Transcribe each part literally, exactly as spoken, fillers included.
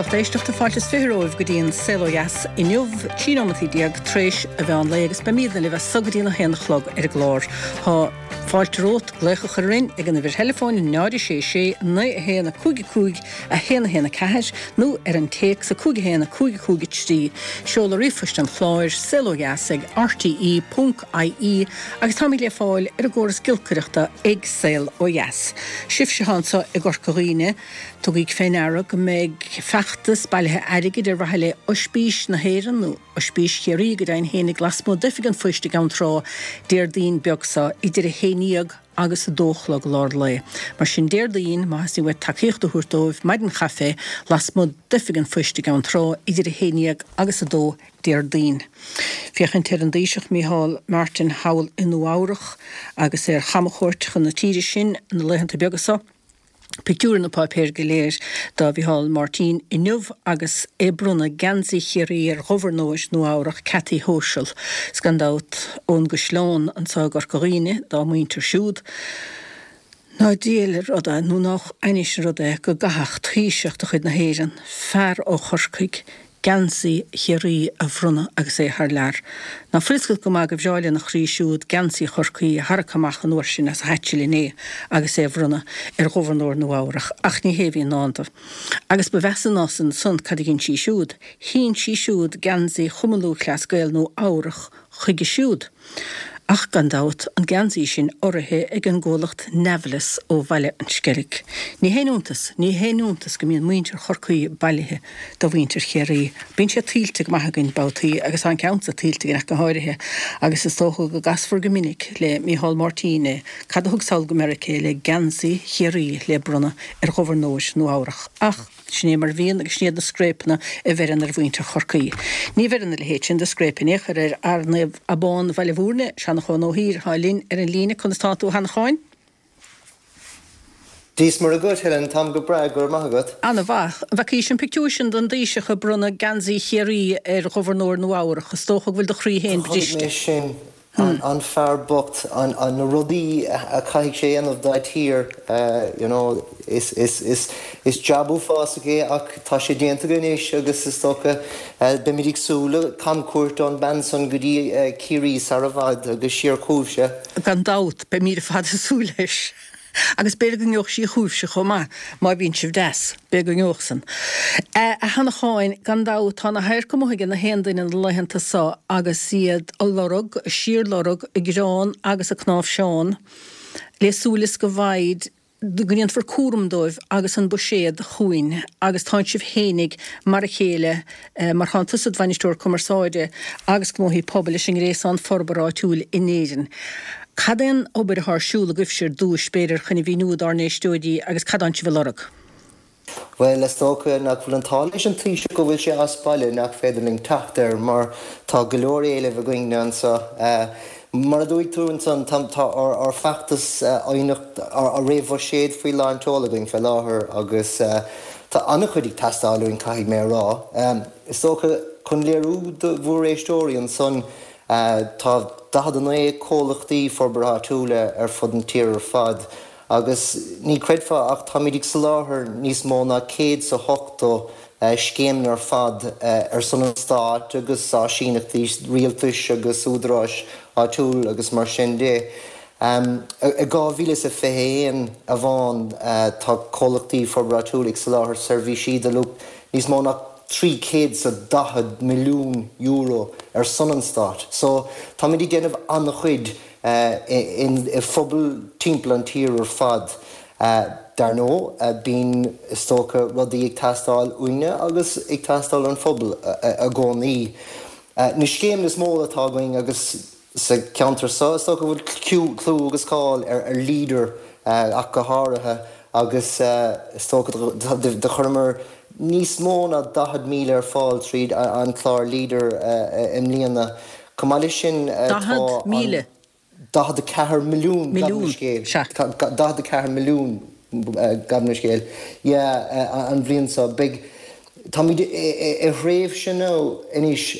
lucht éisteachta fáilte is fiche romhaibh go dtí an Saol Ó Dheas inniu trí nóiméad déag tar éis an mheán lae agus beimidne libh as so go dtí a haon a chlog ar an gclár. Tá fáilte romhat glaoch a chur orainn ag an uimhir theileafóin náid sé sé naoi a haon a cúig cúig a haon a haon a ceathair nó ar an téacs a cúig a haon a cúig cúig a trí seoladh ríomhphoist an chláir saol ó dheas ag RTE ponc IE agus táimid le fáil ar an gcóras giolcaireachta ag Saol Ó Dheas. Sibhse anseo i gCorca Dhuibhne, tugaigí faoi ndeara go mbeidh feachtas bailithe airgid ar mhaithe le Ospís na hÉireann nó Ospís Chiarraí go deimhin féinig lasmuigh d'oifig an phoist i gCeann Trá Déardaoin beag seo idir a haon déag agus a dó a chlog lár lae. Mar sin Déardaoin má theastaíonn uait tacaíocht a thabhairt dóibh maidin chaife lasmuigh d'oifig an phoist i gCeann Trá idir a haon déag agus a dó Déardaoin. Féachaint ar an dTaoiseach Micheál Martin thall i Nua Eabhrac agus ar chamchuairt chun na tíre sin na laethanta beaga seo. Pictiúr na páipéir go léir do Mhicheál Martin inniu agus é ag bronnadh geansaí Chiarraí ar ghobharnóir Nua Eabhrac Kathy Hochul. 'S gan dabht ón gCaisleán anseo i gCorca Dhuibhne dá muintir siúd. Ná diail rud é nó nach ainnis an rud é go gcaithfeadh Taoiseach de chuid na hÉireann, fear ó Chorcaigh, geansaí Chiarraí a bhronnadh agus é thar lear. Ná fuil fhios agat go maith gur bhreá lena chroí siúd geansaí Chorcaí a tharrac amach an uair sin as a hait inné agus é a bhronnadh ar ghobharnóir Nua Eabhrac, ach ní hé a bhí i ndán dó. Agus ba mheasa ná san san cad a dhein sí siúd. Shín sí siúd geansaí Chumann Lúthchleas Gael Nua Eabhrac chuige siúd. Ach gan dabht an geansaí sin urraithe ag an gcomhlacht Nevilis ó Bhaile an Sceilg. Ní haon iontas, ní haon iontas go mbíonn muintir Chorcaí bailithe do mhuintir Chiarraí. Bíonn sé tuillte go maith againn babhtaí agus tá an ceann seo tuillte againn ach go háirithe, agus is dócha go gcasfar go minic le Micheál Martin é, cad a thug sall go Meiriceá le geansaí Chiarraí le bronnadh ar ghobharnóir Nua Eabhrac. Ach sin é mar bhíonn agus sin iad na scréipeanna a bheireann ar mhuintir Chorcaí. Ní bheireann a leithéid sin de scréip in aon chor ar fhear Naomh Abán Bhaile Bhúirne, Seanchán Ó hÍr atá linn ar an líne conas tá tú a Sheanacháin? Dia is Muire dhuit Helen táim go breá go raibh maith agat. An-mhaith. Bhfeacaís an pictiúr sin den Taoiseach ag bronnadh geansaí Chiarraí ar ghobharnóir Nua Eabhrac, is dócha go bhfuil do chroí féin Chonaic mé briste. sin an, an fear bocht an, an na rudaí a chaithfidh sé dhéanamh dá tír uh, you know, is, is, is, is jab uafásach é ach tá sé déanta anois agus is dócha uh, beimid ag súil le camchuairt ón bhean san go dtí uh, Ciarraí sar i bhfad agus siar chugaibhse. Gan dabht beimid ar fad ag súil leis. Agus b'fhéidir go ngeobhaidh sí chugaibhse chomh maith má bhíonn sibh deas, b'fhéidir go ngeobhaidh san. A Sheanacháin gan dabht tá na radhairc amuigh ag na haon duine na laethanta seo agus iad ag lorg, síorlorg, a gcrann agus a cnáimhseán, le súil is go bhfaighid go ndéanfar cúram dóibh agus an buiséad chugainn agus tá sibh féinig mar a chéile mar tá tusa i do bhainisteoir cumarsáide agus gnóthaí pobail leis an ngréasán forbartha áitiúil in Éirinn. Cad é an obair atá ar siúl agaibhse ar dtús b'fhéidir chun a mhíniú dár n-éisteoirí agus cad atá sibh ag lorg. Well is dócha nach bhfuil an t-ádh leis an Taoiseach go bhfuil sé as baile nach féidir linn teacht air mar tá go leor éilimh againn anseo. Uh, mar a dúirt tú ansan tá ár ár bhfeachtas aighneacht ar réamhbhuiséad faoi lán tseoil againn fé láthair agus uh, tá an-chuid ag teastáil uainn caithfidh mé rá. Um, is dócha chun léiriú do bhur n-éisteoirí ansan uh, tá daichead a naoi comhlachtaí forbartha áitiúla ar fud an tír ar fad. agus ní chreidfeá ach táimid ag soláthar níos mó ná céad is ochtó uh, scéim ar fad uh, ar son an stáit agus áisíneachtaí rialtais agus údaráis áitiúil agus mar sin de. Um, i dhá mhíle is a fiche haon amháin uh, tá comhlachtaí forbartha áitiúil ag soláthar seirbhísí de luach níos mó ná trí chéad is daichead milliún euro ar son an stáit. So táimid ag déanamh an-chuid uh, in i phobal timpeall an tír ar fad. Uh, dar ndóigh uh, bíonn is dócha rudaí ag teastáil uainne agus ag teastáil ón phobal uh, uh, i gcónaí. Uh, na scéim is mó atá againn agus sa ceantar seo is dócha bhfuil clú agus cáil ar ar Leader uh, ach go háirithe agus uh, is dócha do chuireamar níos mó ná daichead míle ar fáil tríd an clár Leader uh, i mbliana. Chomh maith sin Daichead míle. Daichead a ceathair milliún Milliún, daichead a ceathair milliún gabh mo leithscéal. an bhliain seo big Táimid i thréimhse nó anois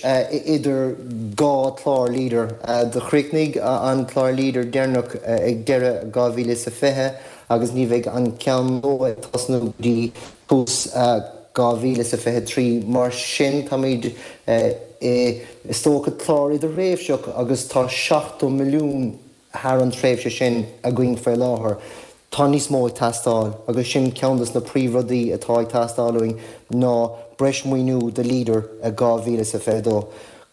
idir dhá chlár Leader do chríochnaigh an clár Leader deireanach ag deireadh dhá mhíle is a fiche agus ní bheidh an ceann nua ag tosnú dtí tús dhá mhíle is a fiche trí. Mar sin, táimid i, is dócha, clár idirthréimhseach agus tá seachtó milliún thar an tréimhse sin againn faoi láthair. Tá níos mó ag teastáil agus sin ceann de na príomhrudaí atá ag teastáil uainn ná breis maoiniú do Leader i dhá mhíle is a fiche dó.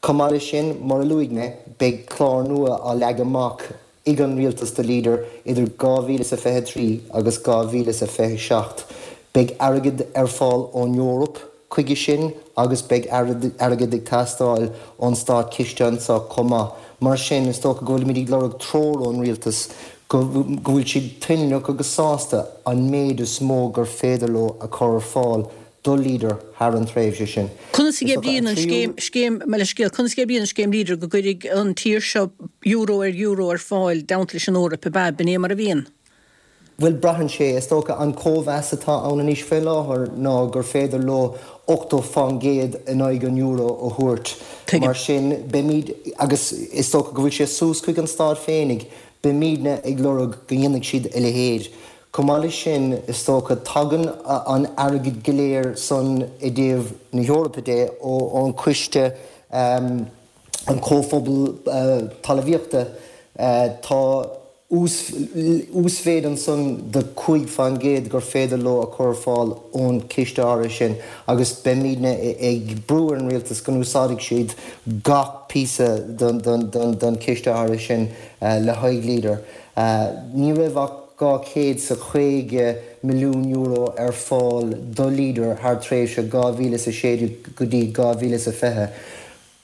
Chomh maith leis sin, mar a luaigh mé, beidh clár nua á leagan amach ag an Rialtas do Leader idir dhá mhíle is a fiche trí agus dhá mhíle is a fiche seacht. Beidh airgead ar fáil ón Eoraip chuige sin agus beidh airgead ag teastáil ón státchiste anseo chomh maith. Mar sin, is dócha go bhfuilimid ag lorg treoir ón Rialtas go bhfuil siad toilteanach agus sásta an méid is mó gur féidir leo a chur ar fáil do Leader thar an tréimhse sin. Conas a oibríonn an scéim, scéim, mo leithscéal, conas a oibríonn an scéim Leader go gcuirfidh an tír seo euro ar euro ar fáil i dteannta leis an Eoraip, ab ea? B'in é mar a bhíonn? Bhuel, braitheann sé, is dócha, an cóimheas atá ann anois faoi láthair ná gur féidir leo ochtó fán gcéad in aghaidh an euro a thabhairt. Tuigim. Mar sin, beimid, agus is dócha go bhfuil sé suas chuig an stát féinig, beimidne ag lorg go ndéanfaidh siad a leithéid. Chomh maith leis sin, is dócha, tagann an airgead go léir san i dtaobh na hEorpa de ón Coiste, an Comhphobal Talmhaíochta. Tá uasmhéid ansan de cúig fán gcéad gur féidir leo a chur ar fáil ón chiste áirithe sin agus beimidne ag brú ar an Rialtas go n-úsáidfidh siad gach píosa den chiste áirithe sin le haghaidh Leader. Ní raibh ach dhá chéad 's a caoga milliún euro ar fáil do Leader thar tréimhse dhá mhíle is a sé déag go dtí dhá mhíle is a fiche.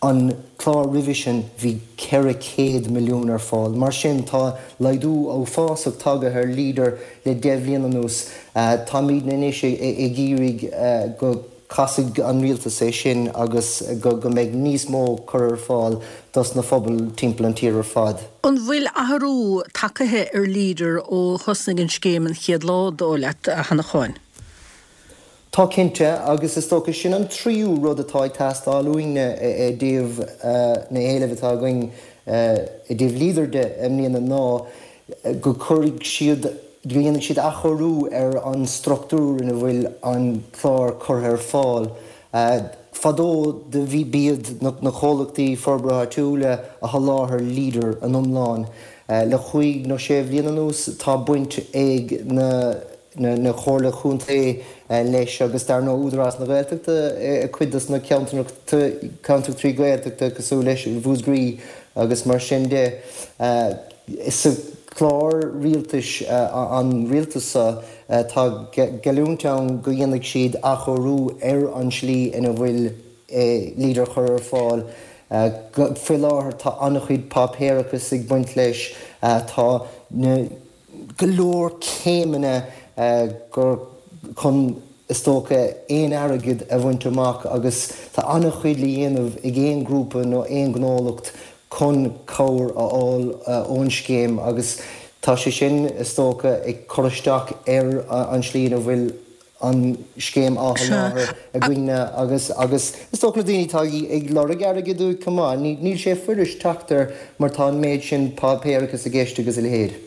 An clár roimhe sin bhí ceithre chéad milliún ar fáil. Mar sin tá laghdú uafásach tagtha ar Leader le deich bhliain anuas. Táimidne anois ag iarraidh go gcasfaidh an rialtas é sin agus go mbeidh níos mó curtha ar fáil dos na phobail timpeall an tír ar fad. An bhfuil athrú tagtha ar Leader ó thosnaigh an scéim an chéad lá, dóigh leat, a Shannacháin? Tá cinnte, agus is dócha sin an tríú rud atá ag teastáil uainne i dtaobh na héilimh atá againn i dtaobh Leader de i mbliana ná go gcuirfidh siad, go ndéanfaidh siad athchóiriú ar an struchtúr ina bhfuil an clár curtha ar fáil. Fadó do bhí, b'iad na comhlachtaí forbartha áitiúla a sholáthair Leader in iomlán. Le chúig nó sé bhliain anuas tá baint ag na na Comhairle Chontae leis agus dar ndóigh Údarás na Gaeltachta i cuid dos na ceantracha Gaeltachta cosúil leis Mhúscraí agus mar sin de. Sa chlár rialtais an rialtas seo tá geallúint ann go dhéanfaidh siad athchóiriú ar an slí ina bhfuil Leader curtha ar fáil. Faoi láthair tá an-chuid páipéarachas ag baint leis, tá na go leor céimeanna gur chun, is dócha, aon airgead a bhaint amach agus tá an-chuid le dhéanamh ag aon ghrúpa nó aon ghnólacht chun cabhair a fháil ón scéim agus tá sé sin, is dócha, ag cur isteach ar an slí ina bhfuil an scéim á sholáthar againne agus agus is dócha na daoine atá ag lorg airgid uaidh chomh maith, níl sé fuirist teacht air mar tá an méid sin páipéarachas i gceist agus a leithéid.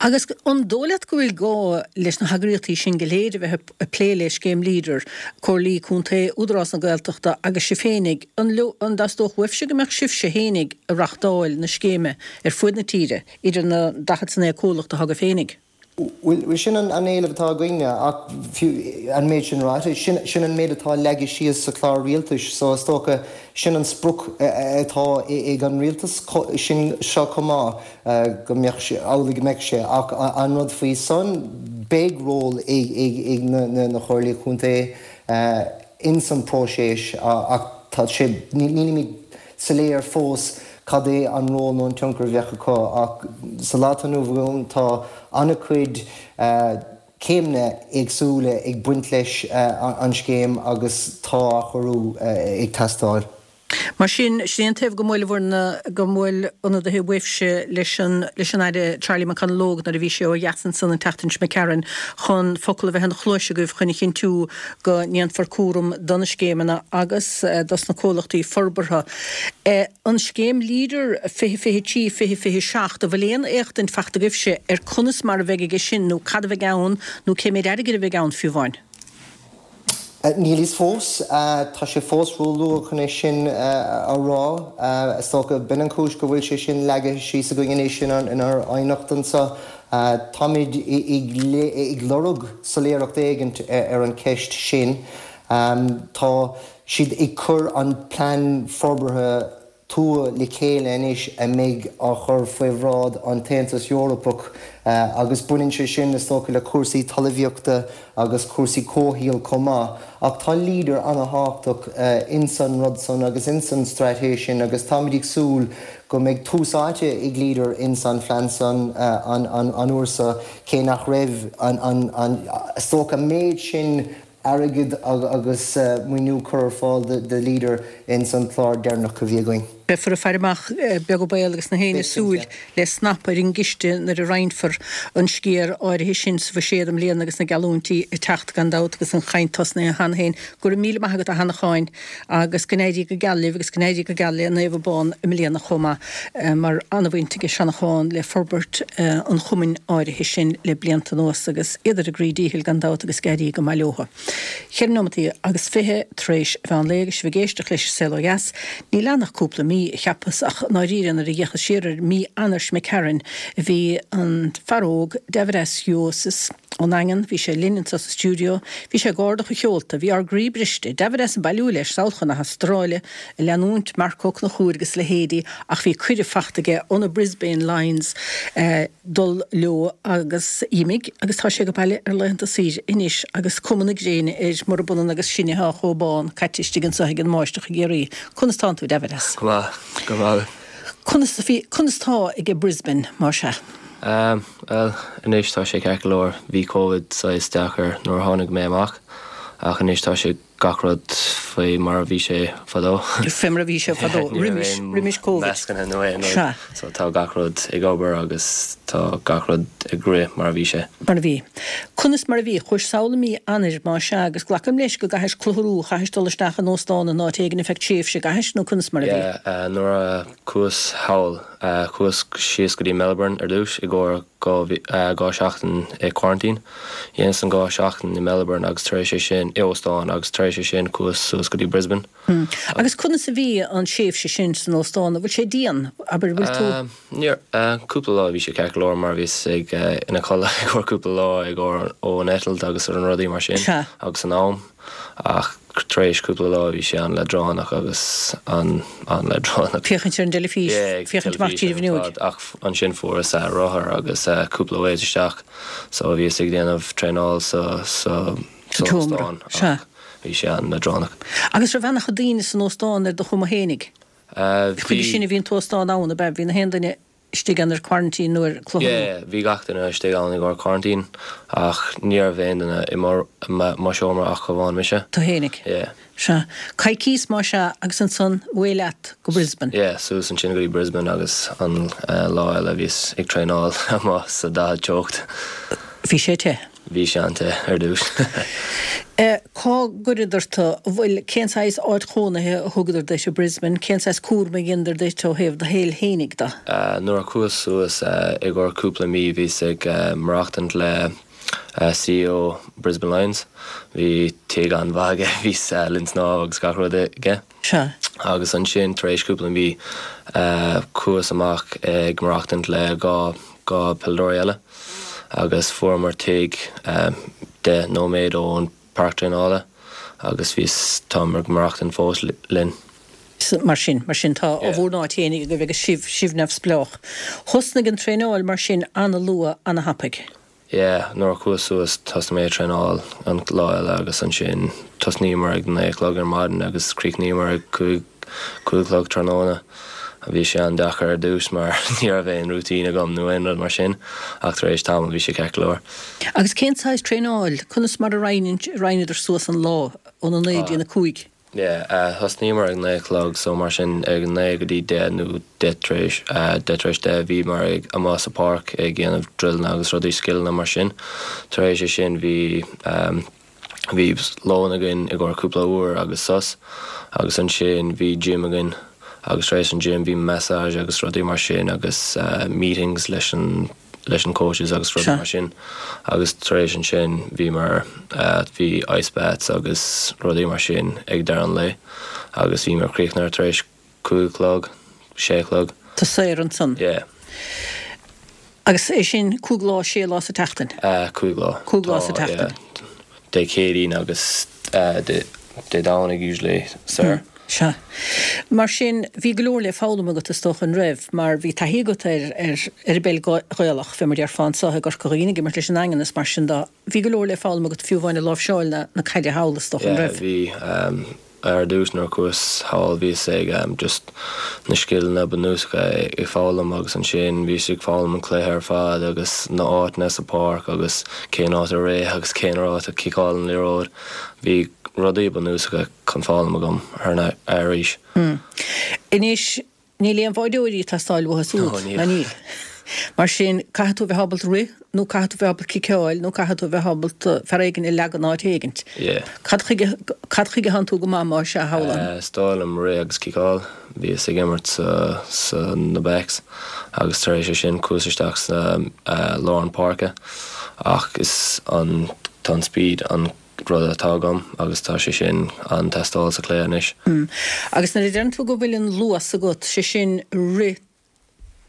Agus an dóigh leat go bhfuil gá leis na heagraíochtaí sin go léir a bheith ag plé le scéim Leader, Comhairlí Contae, Údarás na Gaeltachta agus sibh féinig, an an dteastódh uaibhse go mbeadh sibhse féinig ag reachtáil na scéime ar fuaid na tíre, idir na daichead 's a naoi comhlacht atá agaibh féinig? Bhuel, sin an éileamh atá againne, ach fiú an méid sin ráite, sin an méid atá leagtha síos sa chlár rialtais, so is dócha sin an sprioc atá ag an rialtas sin seo chomh maith, go mbeadh sé, amhlaidh go mbeadh sé. Ach an rud faoi san, beidh ról ag na Comhairlí Contae ins an próiseas ach tá sé, nílimid soiléir fós cad é an ról nó an tionchar a bheadh acu ach sa lá atá inniu ann tá an-chuid céimeanna éagsúla ag baint leis an scéim agus tá athchóiriú ag teastáil. Mar sin, sin é an taobh go mbuailfear na, go mbuail ionadaithe uaibhse leis an, leis an Aire Charlie McConalogue nuair a bhí sé ó dheas ansan an tseachtain seo imigh tharainn chun focal a bheith ina chluais agaibh chun a chinntiú go ndéanfar cúram do na scéimeanna agus dos na comhlachtaí forbartha. An scéim Leader fiche fiche trí fiche fiche seacht, an bhfuil aon éachtaint fachta agaibhse ar conas mar a bheidh aige sin nó cad a bheidh ann nó cé méid airgid a bheidh ann fiú amháin? Níl fhios fós, tá sé fós róluath chun é sin a rá. Is dócha b'in an chúis go bhfuil sé sin leagtha síos againn anois inár aighneacht anseo. Táimid ag lorg soiléireacht éigint ar an cheist sin. Tá siad ag cur an plean forbartha tuaithe le chéile anois a mbeidh á chur faoi bhráid an tAontas Eorpach agus baineann sé sin is dócha le cúrsaí talmhaíochta agus cúrsaí comhshaoil chomh maith. Ach tá Leader an-tábhachtach ins an rud san agus ins an straitéis sin agus táimid ag súil go mbeidh tús áite ag Leader ins an phlean san an uair seo cé nach raibh an is dócha an méid sin airgead agus maoiniú curtha ar fáil do Leader ins an clár deireanach a bhí againn. Beifear ag faire amach beag an baol agus na héinne súil le snap ar an gciste nuair a roinnfear an sciar áirithe sin sa bhuiséad i mbliana agus na geallúintí ag teacht gan dabht agus an chaint tosnaithe cheana féin. Go raibh míle maith agat a Sheanacháin agus go n-éirí go geal libh agus go n-éirí go geal le Naomh Abán i mbliana chomh maith mar an-bhaint ag Seanachán le forbairt an chumainn áirithe sin le blianta anuas agus iad ar a gcroí díchill gan dabht agus go n-éirí go maith leo. Ceithre nóimeataí agus fiche tar éis mheán lae agus sibh ag éisteacht leis an Saol Ó Dheas. Níl ann ach cúpla mí, cheapas, ach i ndáiríre nuair a d'fhéachas siar ar mí Eanáir seo imigh tharainn bhí an fear óg Davidas Juozas ón nDaingean, bhí sé linn anseo sa stiúideo, bhí sé ag ardach a sheolta, bhí ár gcroí briste, Davidas ag bailiú leis sall chun na hAstráile, ag leanúint Marc Ó Conchúir agus a leithéidí ach bhí cuireadh fachta aige ó na Brisbane Lions dul leo agus d'imigh agus tá sé ag baile ar laethanta saoire anois agus cuma na gréine air murab ionann agus sinne atá chomh bán caite istigh anseo ag an mbáisteach i gCiarraí. Conas tánn tú, Davidas? Go maith, go maith. Conas a bhí, conas tá ag Brisbane, mar sea? Um, well, anois tá sé ceart go leor, bhí Covid saghas deacair nuair a tháinig mé amach ach anois tá sé gach rud faoi mar a bhí sé fadó. Fé mar a bhí sé fadó, roimis, roimis Covid. Meascanna nó aon rud. Sea. So tá gach rud ag obair agus tá gach rud ag rith mar a bhí sé. Mar a bhí. Conas mar a bhí? Chuais sall i mí Eanáir, más ea, agus glacaim leis go gcaithis clutharú, chaithis dul isteach in óstán in áit éigin ar feadh tréimhse, gcaithis, nó conas mar a bhí? Yeah, uh, nuair a chuas thall, uh, chuas síos go dtí Melbourne ar dtús i gcomhair dhá uh, dhá seachtain i quarantine. Dhéanas an dhá seachtain i Melbourne agus tar éis é sin i óstán agus tar éis é sin chuas suas go dtí Brisbane. Hmm. Agus conas a bhí an tréimhse sin san óstán, an bhfuil sé dian, abair, bhfuil tú? Um, níor, uh, cúpla lá bhí sé ceart go leor mar bhíos ag uh, ina chodladh i gcomhair cúpla lá i gcomhair ón eitilt agus ar an rudaí mar sin Sea. agus an am ach tar éis cúpla lá bhí sé an-leadránach agus an an-leadránach. Féachaint ar an dteilifís, Yeah, féachaint amach tríd an teilifís ar bhfuinneog. fad, ach ansin fuaireas uh, rothar agus uh, cúpla ways isteach so bhíos ag déanamh traenáil sa sa Sa sa tseomra, óstán, sea. ach bhí sé an-leadránach. Agus raibh ana chuid daoine san óstán ar do chuma fhéinig? Uh, Chuige sin a bhí an t-óstán ann, ab ea? Bhí na haon duine istigh ann ar quarantine nó ar clutharú? Yeah, bhí gach duine istigh ann i gcomhair quarantine ach ní raibh aon duine i mo mo seomra ach amháin mise. Tú fhéinig? Yeah. Sea. Coicís más ea agus ansan away leat go Brisbane. Yeah, suas ansin go dtí Brisbane agus an uh, lá eile bhíos ag traenáil amuigh sa daichead teocht. Bhí sé te. Bhí sé an-te ar dtús. Eh, cá gcuireadar tú, bhfuil cén saghas áit chónaithe a thugadar duit i Brisbane, cén saghas cúram a dheineadar duit ó thaobh do shaoil fhéinig de? Uh, nuair a chuas suas uh, i gcomhair cúpla mí bhíos ag uh, maireachtaint le uh, CEO Brisbane Lions. Bhí tigh an-mhaith aige, bhí uh, linn snámh agus gach rud aige. Sea. Agus ansin tar éis cúpla mí uh, chuas amach ag maireachtaint le dhá dhá peileadóir eile. Agus fuaireamar tigh um, deich nóiméad ón páirc traenála agus bhíos táim ag maireachtaint fós linn. Mar sin, mar sin tá Yeah. a bhur n-áit fhéinig agaibh agus sibh sibh neamhspleách. Thosnaigh an traenáil mar sin an-luath an-thapaidh. Yeah, nuair a chuas suas thosnaigh mé ag traenáil an lá eile agus ansin tosnaíomar ag naoi a chlog ar maidin agus chríochnaíomar ag cúig cúig a chlog tráthnóna. Bhí sé an-deacair ar dtús mar ní raibh aon routine agam nó aon rud mar sin ach tar éis tamaill bhí sé ceart go leor. Agus cén saghas traenáil, conas mar a roinneadar suas an lá óna naoi dtí na cúig? Yeah, uh, thosnaíomar ag naoi a chlog so mar sin ag naoi go dtí deich nó deich tar éis uh, deich tar éis deich bhíomar ag amuigh sa páirc ag déanamh drilleanna agus rudaí scileanna mar sin. Tar éis é sin bhí um, bhí lón againn i gcomhair cúpla uair agus sos agus ansin bhí gym againn agus tar éis an gym bhí massage agus rudaí mar sin agus uh, meetings leis an leis an coaches agus rudaí Sea. mar sin agus tar éis ansin bhíomar bhí ice baths agus rudaí mar sin ag deireadh an lae agus bhíomar críochnaithe tar éis cúig a chlog, sé a chlog. Tá saor ansan. Yeah. Agus é sin cúig lá sé lá sa tseachtain? Uh, cúig lá. Cúig lá sa Tá, tseachtain. yeah. Dé Céadaoin agus uh, Dé Dé Domhnaigh usually saor. Sea. Mar sin bhí go leor le foghlaim agat is dócha an raibh, mar bhí taithí agat ar ar ar an bpeil Ghaelach fé mar a déarfá anseo i gCorca Dhuibhne ag imirt leis an Daingean is mar sin de. Bhí go leor le foghlaim agat fiú amháin i láimhseáil na na caide thall is dócha an Yeah, raibh. bhí um, ar dtús nuair a chuas thall bhíos ag um, just na scileanna bunúsacha ag foghlaim agus ansin bhíos ag foghlaim an cluiche ar fad agus na áiteanna sa pháirc agus cén áit a rith agus cén áit a ciceáil an liathróid. Bhí rudaí bunúsacha chun foghlaim agam ar na arís. Hmm. Anois níl aon bháireoirí ag teastáil uathu No, siúd, níl. ná níl. Mar sin caithfidh tú bheith ábalta rith nó caithfidh tú bheith ábalta ciceáil nó caithfidh tú bheith ábalta fear éigin a leagan áit éigint. Yeah. Cad chuige cad chuige thánn tú go maith mar sea thall? Uh, is dóigh liom rith agus ciceáil, bhíos ag imirt sa, sa na backs agus tar éis sin chuas isteach sa uh, lár an páirce ach is an tá an speed an rud atá agam agus tá sé sin an teastáil sa chluiche anois. Mm. Agus nuair a deireann tú go bhfuil an luas agat sé sin rith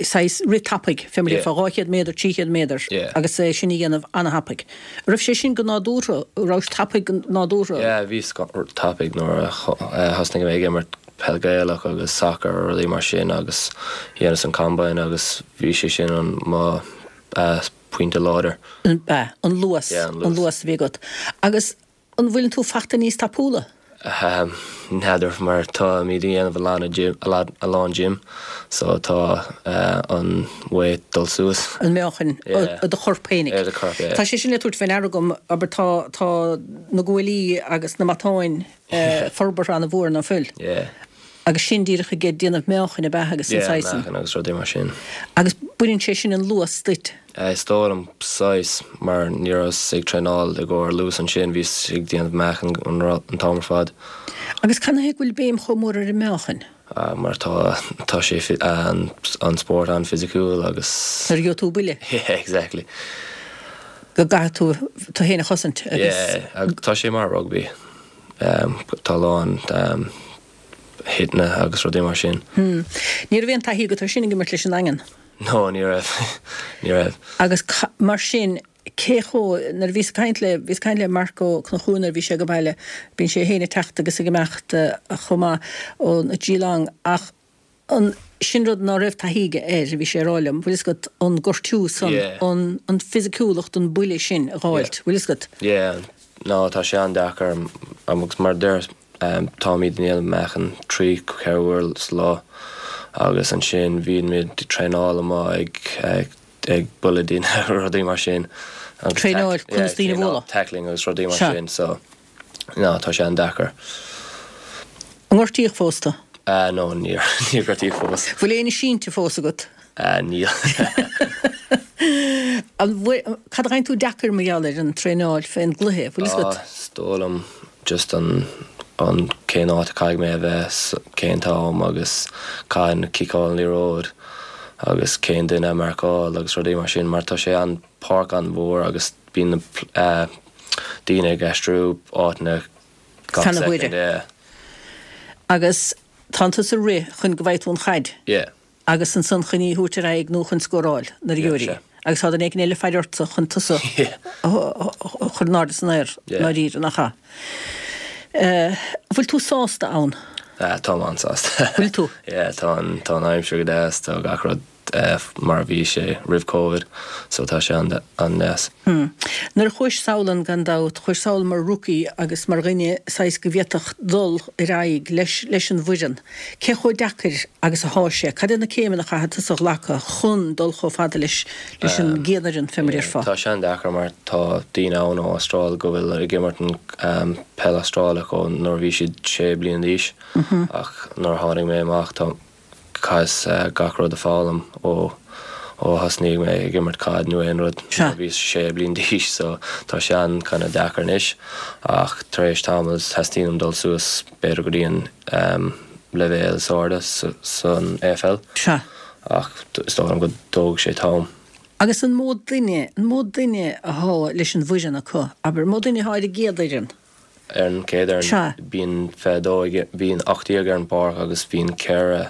saghas rith tapaidh fé mar Yeah. fá dhá chéad méadar trí chéad méadar Yeah. agus é sin a dhéanamh an-thapaidh. Raibh sé sin go nádúrtha raibh tapaidh go nádúrtha. Yeah, bhíos tapaidh nuair a thosnaigh mé ag imirt peil Gaelach agus soccer rudaí mar sin agus dhéanas an combine agus bhí sé sin an mo uh, pointe láidir. An ba an luas Yeah, an luas. an luas a bhí agat. Agus an bhfuil tú fachta níos tapúla? Um, N'fheadar mar táimid ag déanamh a lán gym, a lán, a lán gym, so tá uh, an weight dul suas. An meáchan Yeah. do chorp féinig. Yeah, do chorp, yeah. Tá sé sin le tabhairt faoi deara agam aber tá tá na guaillí agus na matáin uh, forbartha an-mhór ná fuil. Yeah. Agus sin díreach ag déanamh meáchain a bheith agus an Yeah, saghas. meáchan agus rudaí mar sin. Agus baineann sé sin an luas duit. Uh, is dóigh liom saghas mar ní rabhas ag traenáil i gcomhair luas ansin bhíos ag déanamh meáchan an, an t-am ar fad. Agus cad chuige bhfuil béim chomh mór ar an meáchan. Uh, mar tá tá sé fi- an, an spórt an-fhisiciúil agus Nuair a gheobhaidh tú buille Yeah, exactly. go gcaithfidh tú tú féin a chosaint agus Yeah, ag- tá sé mar rugby. Um, tá lán um, hitna agus rudaí mar sin. Hmm. Ní raibh aon taithí agat air sin ag imirt leis an Daingean. No, ní raibh ní raibh. Agus ca- mar sin cé chomh nuair a bhíos ag caint le bhíos ag caint le Marco Cnochún nuair a bhí sé go baile, bíonn sé féin ag teacht agus ag imeacht eh, chomh maith ó na Geelong ach an sin rud ná raibh taithí aige air bhí sé ag rá liom, bhfuil fhios agat an gortú san Yeah. an an fisiciúlacht an buille sin a fháilt, bhfuil fhios agat. Yeah, no tá sé an-deacair agus mar deir um, táimid ag déanamh meáchan trí ceithre uair sa lá agus ansin bhímid ag traenáil amuigh ag ag ag bualadh daoine rudaí mar sin. Agus Traenáil tack- conas daoine a traenáil- bhualadh. Tackling agus rudaí mar Sea. sin, so no tá sé an-deacair. An ngortaíodh fós tú? Uh, no níor níor gortaíodh fós. Bhfuil aon sínte fós agat? Uh, níl. An bhfuil- Cad a fhaigheann tú deacair mar gheall ar an traenáil fén gcluiche, bhfuil fhios agat? Ah, Is dóigh liom just an an cén áit a caithfidh mé a bheith cén t-am agus cén ciceáil an liathróid agus cén duine a marcáil agus rudaí mar sin mar tá sé an páirc an-mhór agus bíonn na uh, daoine ag aistriú áiteanna gach Fan na second, huaire. yeah. Agus tá tú ag rith chun go bhfaighidh tú an chaid. Yeah. Agus ansan chun í a thabhairt ar aghaidh nó chun scóráil nuair a Yeah, gheobhair í. sea. Agus tá duine éigin eile ag faire ortsa chun tusa Yeah. chur in airde san aer Yeah. ndáiríre nach ea. Uh, bhfuil tú sásta ann? Uh, tá an-sásta. Bhfuil tú? Yeah, tá an tá an aimsir go deas tá gach rud uh, mar a bhí sé roimh Covid, so tá sé an an-deas. Hmm. Nuair a chuais sall ann gan dabht, chuais sall mar rookie agus mar dhuine saghas go bhféadfadh dul ar aghaidh leis, leis an bhfoireann. Cé chomh deacair agus atá sé, cad iad na céimeanna a chaithfidh tusa a ghlacadh chun dul chomh fada leis leis an gcéad fhoireann fé mar a déarfá. Tá sé an-deacair mar tá daoine ann ó Astráil go bhfuil ag imirt an um, peil Astrálach ó nuair a bhí siad sé bliana d'aois ach nuair a tháinig mé amach tá chaitheas uh, gach rud a foghlaim ó ó thosnaigh mé ag imirt caid nó aon rud Sea. nuair a bhí sé bliana d'aois so tá sé an kind of deacair anois ach tar éis tamaill teastaíonn uaim dul suas b'fhéidir go dtí an um, leibhéal is airde san AFL Sea. ach is dóigh liom go dtóg sé t-am. Agus an mó duine, an mó duine athá leis an bhfoireann acu, abair, an mó duine athá ar an gcéad fhoireann? Ar an gcéad fhoireann, Sea. bíonn fiche a dó ag, bíonn ocht déag ar an bpáirc agus bíonn ceithre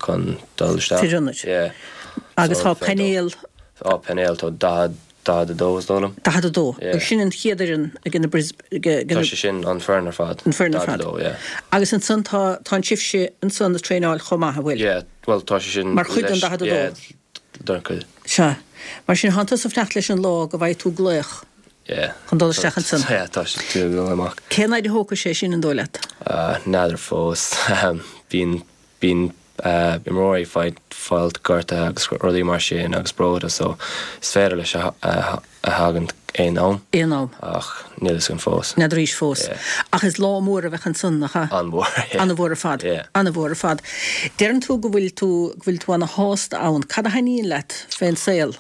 chun dul isteach. Fir ionaid. Yeah. Agus So, tá painéal. Tá painéal, tá daichead, daichead a dó is dóigh liom. Daichead a dó. Yeah. Agus sin an chéad fhoireann ag na Bris, ag, ag Tá na. sé sin an foireann ar fad. An foireann ar fad. Daichead a dó, yeah. Agus ansan tá, tá an sibhse ansan ag traenáil chomh maith, an bhfuil? Yeah, bhuel tá sé sin Mar chuid den leis, daichead a dó. yeah, den chuid. Sea. Mar sin thánn tusa ag fanacht leis an lá go bhfaighidh tú glaoch. Yeah. Chun dul isteach ansan. Yeah, tá sé tú ag dul amach. Cén fhaid a thógfaidh sé sin an dóigh leat? Uh, n'fheadar fós. Bíonn, bíonn uh, imreoirí ag fáilt gortaithe agus rudaí mar sin agus breoite, so is féidir leis a, a, a thagann aon am. Aon am. Ach níl fhios agam fós. N'fheadar arís fós. Yeah. Ach is lá mór a bheadh ansan, nach ea? An-mhór, yeah. An-mhór ar fad. Yeah. An-mhór ar fad. Deireann tú go bhfuil tú, go bhfuil tú ana-shásta ann. Cad a thaitníonn leat fén saol?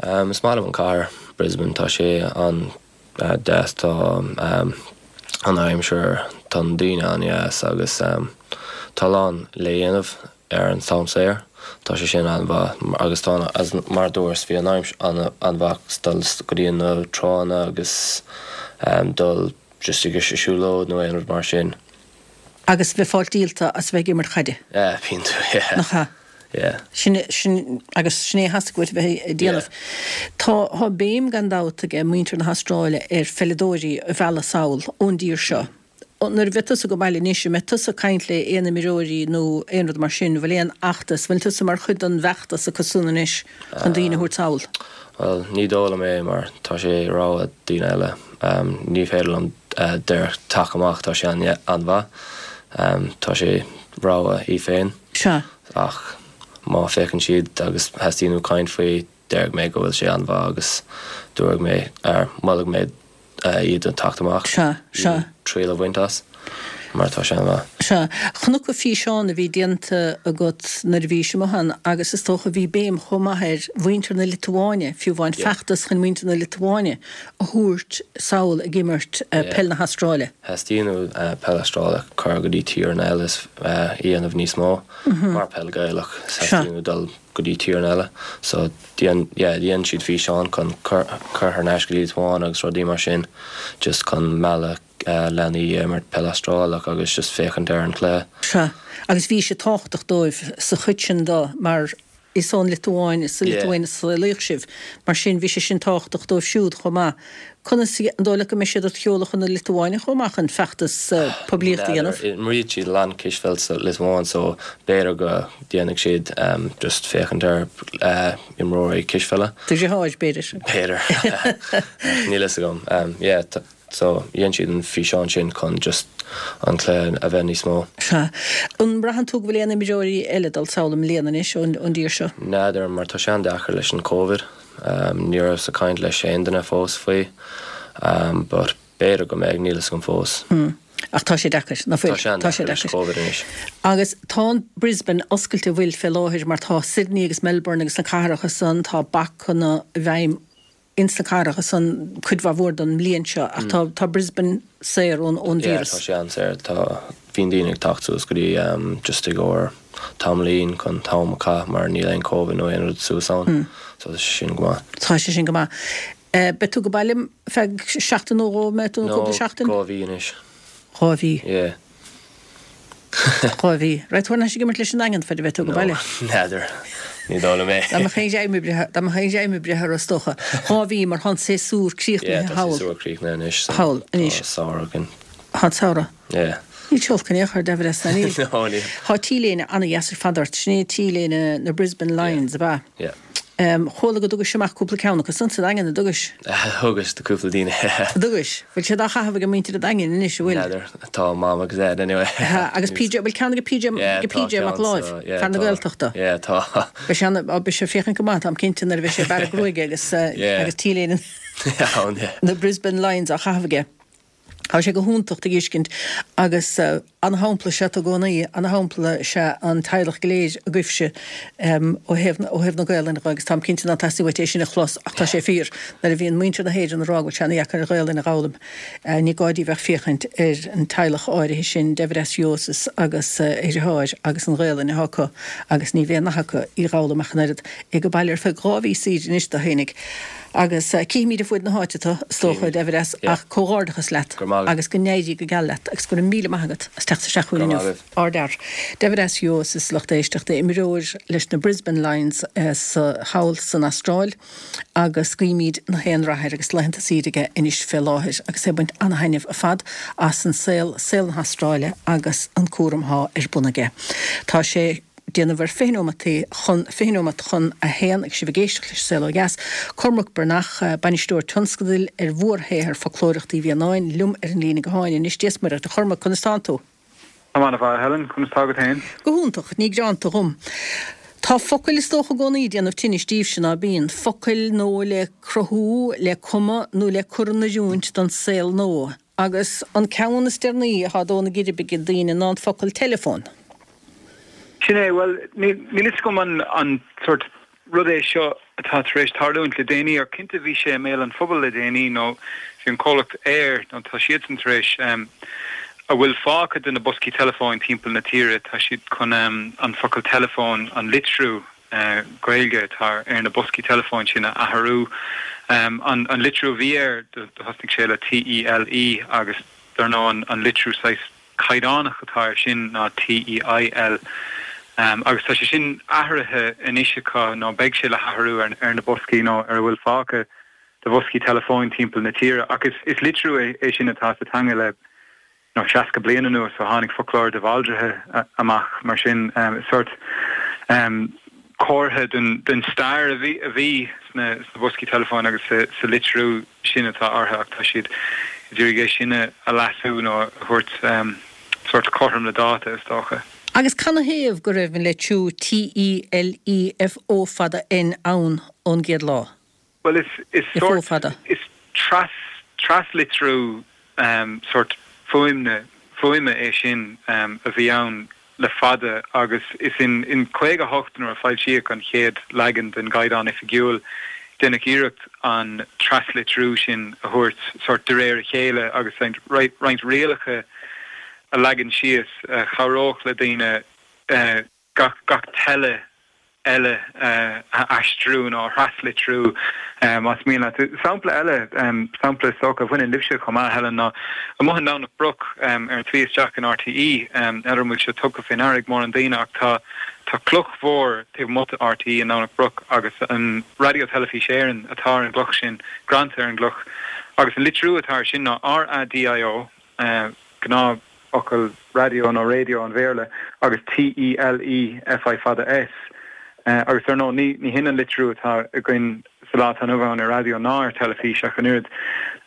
Um, is maith liom an cathair Brisbane, tá sé an uh, deas, tá um, an aimsir, tá na daoine an-deas agus um, tá lán le dhéanamh ar an t-am saor. Tá sé sin an-mhaith agus tá as mar dúirt bhí an aimsir an-mhaith dul go dtí na tránna agus um, dul just ag siúlóid nó aon rud mar sin. Agus bheith fáil díolta as bheith ag imirt caide. Yeah, bíonn tú, yeah. Nach ea? Yeah. Sin, sin, agus sin é theastaigh uait bheith ag déanamh. Tá, tá béim gan dabht ag muintir na hAstráile ar pheileadóirí a mhealladh sall ón dtír seo. Nuair a bheidh tusa go baile anois, an mbeidh tusa ag caint le aon imreoirí nó aon rud mar sin, bhfuil aon fheachtas, bhfuil tusa mar chuid den bhfeachtas acu san anois chun daoine a thabhairt sall? Bhuel, ní dóigh liom é mar tá sé rogha daoine eile. Um, ní féidir liom uh, deir teacht amach, tá sé an-mhaith. Um, tá sé rogha í féin. Sea. Ach má féachann siad agus theastaíonn caint faoi, déarfaidh mé go bhfuil sé an-mhaith agus dúirt mé ar mholfaidh mé uh, iad an teacht amach. Sea, sea. Triail a bhaint as, mar tá sé an-mhaith. Sea, chonac físeán a bhí déanta agat nuair a bhí sé amuigh ann agus is dócha bhí béim chomh maith ar mhuintir na Liotuáine, fiú amháin Yeah. feachtas chun muintir na Liotuáine a thabhairt sall ag imirt uh, Yeah. peil na hAstráile. Theastaíonn uh, peil Astrálach cur go dtí tíortha eile is uh, dhéanamh níos mó mar peil Gaelach theastaíonn dul go dtí tíortha eile. So dhéan yeah, dhéan siad físeán chun cur cur thar n-ais go dtí Liotuáin agus rudaí mar sin just chun mealladh uh, leanaí imirt peil Astrálach agus just féachaint ar an cluiche. Sea, agus bhí sé tábhachtach dóibh sa chuid sin dó mar is ón Liotuáin, is sa Yeah. Liotuáin a saolaíodh sibh, mar sin bhí sé sin tábhachtach dóibh siúd chomh maith. Conas an dóigh leat go mbeidh siad ag sheoladh chun na Liotuáine chomh maith chun feachtas uh, poiblíochta a dhéanamh? Imríonn siad lán cispheil sa Liotuáin so b'fhéidir go déanfaidh siad um, just féachaint ar uh, imreoirí cispheile. Do dheartháir b'fhéidir. B'fhéidir. Níl fhios agam. Um, yeah, t- so dhéan siad an físeán sin chun just an cluiche a bheith níos mó. Sea. An mbraitheann tú go bhfuil aon imreoirí eile dul sall i mbliana anois ón ón dtír seo? N'fheadar mar tá sé an-deacair leis an Covid. Um, ní raibh sa caint leis aon duine fós faoi. Um, but b'fhéidir go mbeidh níl fhios agam fós. Hmm. Ach tá sé deacair, ná fuil? Tá sé an-deacair leis Covid anois. Agus tá an Brisbane oscailte bhfuil fé láthair mar tá Sydney agus Melbourne agus na cathracha san tá bacanna i bhfeidhm ins na cathracha san cuid mhaith mhór den mbliain seo ach tá tá Brisbane saor ón ón Yeah, víreas. tá sé an-saor tá bhíonn daoine ag teacht suas go dtí um, just i gcomhair tamaillín chun t-am a chaitheamh mar níl aon Covid nó aon rud suas ann. So tá sé sin go maith. Tá sé sin go maith. Eh, Beidh tú go baile feadh seachtain nó dhó mé tú No, cúpla seachtain? dhá mhí anois. Dhá mhí. Yeah. Dhá mhí. Raghaidh tú thar n-ais ag imirt leis an Daingean fad a bheidh tú go baile. N'fheadar. Ní dóigh liom é. Dá mbeadh aon dream oibrithe, dá mbeadh aon dream oibrithe ar is dócha. Dhá mhí mar tá an séasúr Yeah, críochnaithe tá thall. séasúr críochnaithe anois. so Thall anois. Tá samhradh againn. Tá samhradh. Yeah. Ní teolcan éochar David S. Níl. No, níl. Tá T-léine an-dheas ar fad ort, sin é T-léine na Brisbane Lions, ab ea? Yeah. Um, Chuala go dtugais amach cúpla ceann agus san sa Daingean a dtugais. Thugas do cúpla daoine. Dtugais, bhfuil siad á chaitheamh ag muintir an Daingin anois an bhfuil. N'fheadar, tá mam agus Ed anyway. Ha, agus PJ, bhfuil ceann ag PJ, Yeah, ag tá PJ Mac ceann, Láimh, so, yeah, fear na tá. Gaeltachta. Yeah, tá. Beidh sé an- beidh sé féachaint go maith, táim cinnte nuair a bheidh sé ag bearradh gruaige agus, uh, Yeah. agus T-léine Yeah, yeah. na Brisbane Lions á chaitheamh aige. Tá sé go hiontach a fheiscint agus uh, an-shampla is ea tú i gcónaí, an-shampla is ea an teaghlach go léir agaibhse um, ó thaobh ó thaobh na Gaelainne agus táim cinnte nach dteastaíonn uait é sin a chlos ach tá sé fíor nuair a bhíonn muintir na hÉireann ag rá go bhfuil sé an-deacair an Ghaelainn a fhoghlaim. Uh, ní gá daoibh ach féachaint ar an teaghlach áirithe sin David S. Jusos agus uh, a dheartháir agus an Ghaelainn atá acu agus ní bheidh nath acu í dh'fhoghlaim ach an oiread ag baile ar feadh dhá mhí saoire anois do fhéinig. Agus uh, cífimid ar fud na háite tú is dócha David S ach comhghairdeachas leat agus go n-éirí go geal leat agus go raibh míle maith agat as teacht isteach chugainn inniu. Ardfhear. David S. Jusos lucht éisteachta imreoir leis na Brisbane Lions uh, sa thall san Astráil agus guímid gach aon rath air agus laethanta saoire aige anois fé láthair agus é ag baint an-taitneamh ar fad as an saol saol na hAstráile agus an cúram atá ar bun aige. Tá sé déanamh ar fiche nóimeataí chun fiche nóimeat chun a haon ag sibh ag éisteacht leis Saol Ó Dheas. Cormac Breathnach eh, bainisteoir tionscadail ar mhórshaothar foclóireachta Uí Mhianáin liom ar an líne gutháin anois Dia is Muire dhuit a Chormaic conas tánn tú. Tá mé an-mhaith Helen conas tá tú féin? Go hiontach ní gearánta dhom. Tá focail is dócha i gcónaí ag déanamh tinnis daoibhse ná bíonn, focail nua le cruthú, le cumadh nó le cur in oiriúint don saol nua. Agus an ceann is deireanaí atá ag dó na geirbe ag daoine ná an focal teileafón. Sin é well níl a fhios agam an an sort rud é seo atá tar éis tarlúint le déanaí ach cinnte bhí sé i mbéal an phobail le déanaí nó bhí an comhlacht Eir nó tá siadsan tar éis um, a bhfuil fágtha de na boscaí teileafóin timpeall na tíre tá siad chun um, an focal teileafón an litriú uh, Gaeilge atá ar na boscaí teileafóin sin a athrú um, an, an litriú bhí air do, do thosnaigh sé le T E L E agus dar ndóigh an, an litriú saghas caighdeánach atá air sin ná T E I L. Um, agus tá sé sin athraithe anois acu nó beidh sé le hathrú ar, ar na boscaí nó ar a bhfuil fágtha de bhoscaí teileafóin timpeall na tíre agus is litriú é, é sin atá sa teanga le nó seasca bliain anuas ó tháinig foclóir de Bhaldraithe amach mar sin um, sort um, comhartha den, den stair a bhí a bhí sna, sna boscaí teileafóin agus sa, sa litriú sin atá orthu ach tá siad ag iarraidh é sin a leasú nó a thabhairt um, sort cothrom le dáta is dócha. Agus canathaobh go raibh an litriú T E L E F O fada N ann ón gcéad lá. Well is is F O sort fada. Is tras traslitriú um, sort fuaimne fuaime é sin um, a bhí ann le fada agus is in in caoga hocht nuair a foilsíodh an chéad leagan den gCaighdeán Oifigiúil deineadh iarracht an traslitriú sin a thabhairt sort de réir a chéile agus roinnt rialacha a leagan síos uh, chabhródh le daoine uh, gach gach tele eile uh, a aistriú nó traslitriú um, as mí sampla eile um, sampla socha bhain libse chomh maith Helen ná amuigh i nDomhnach Broc um, ar an tslí isteach in R T E um, ar mu se tucha fin arig mór an daine ach tá tá cloch mhór taobh amuigh de R T E in Domhnach Broc agus an Raidió Teilifís Éireann atá ar an gcloch sin greanta ar an gcloch agus an litriú atá sin ná R A D I O uh, gnáthfhocal radio nó radio an Bhéarla agus T E L E F I fada S. Uh, agus ar nó ní ní hin an litriú atá againn sa lá atá inniu ann ar raidió ná ar teilifís ach an oiread.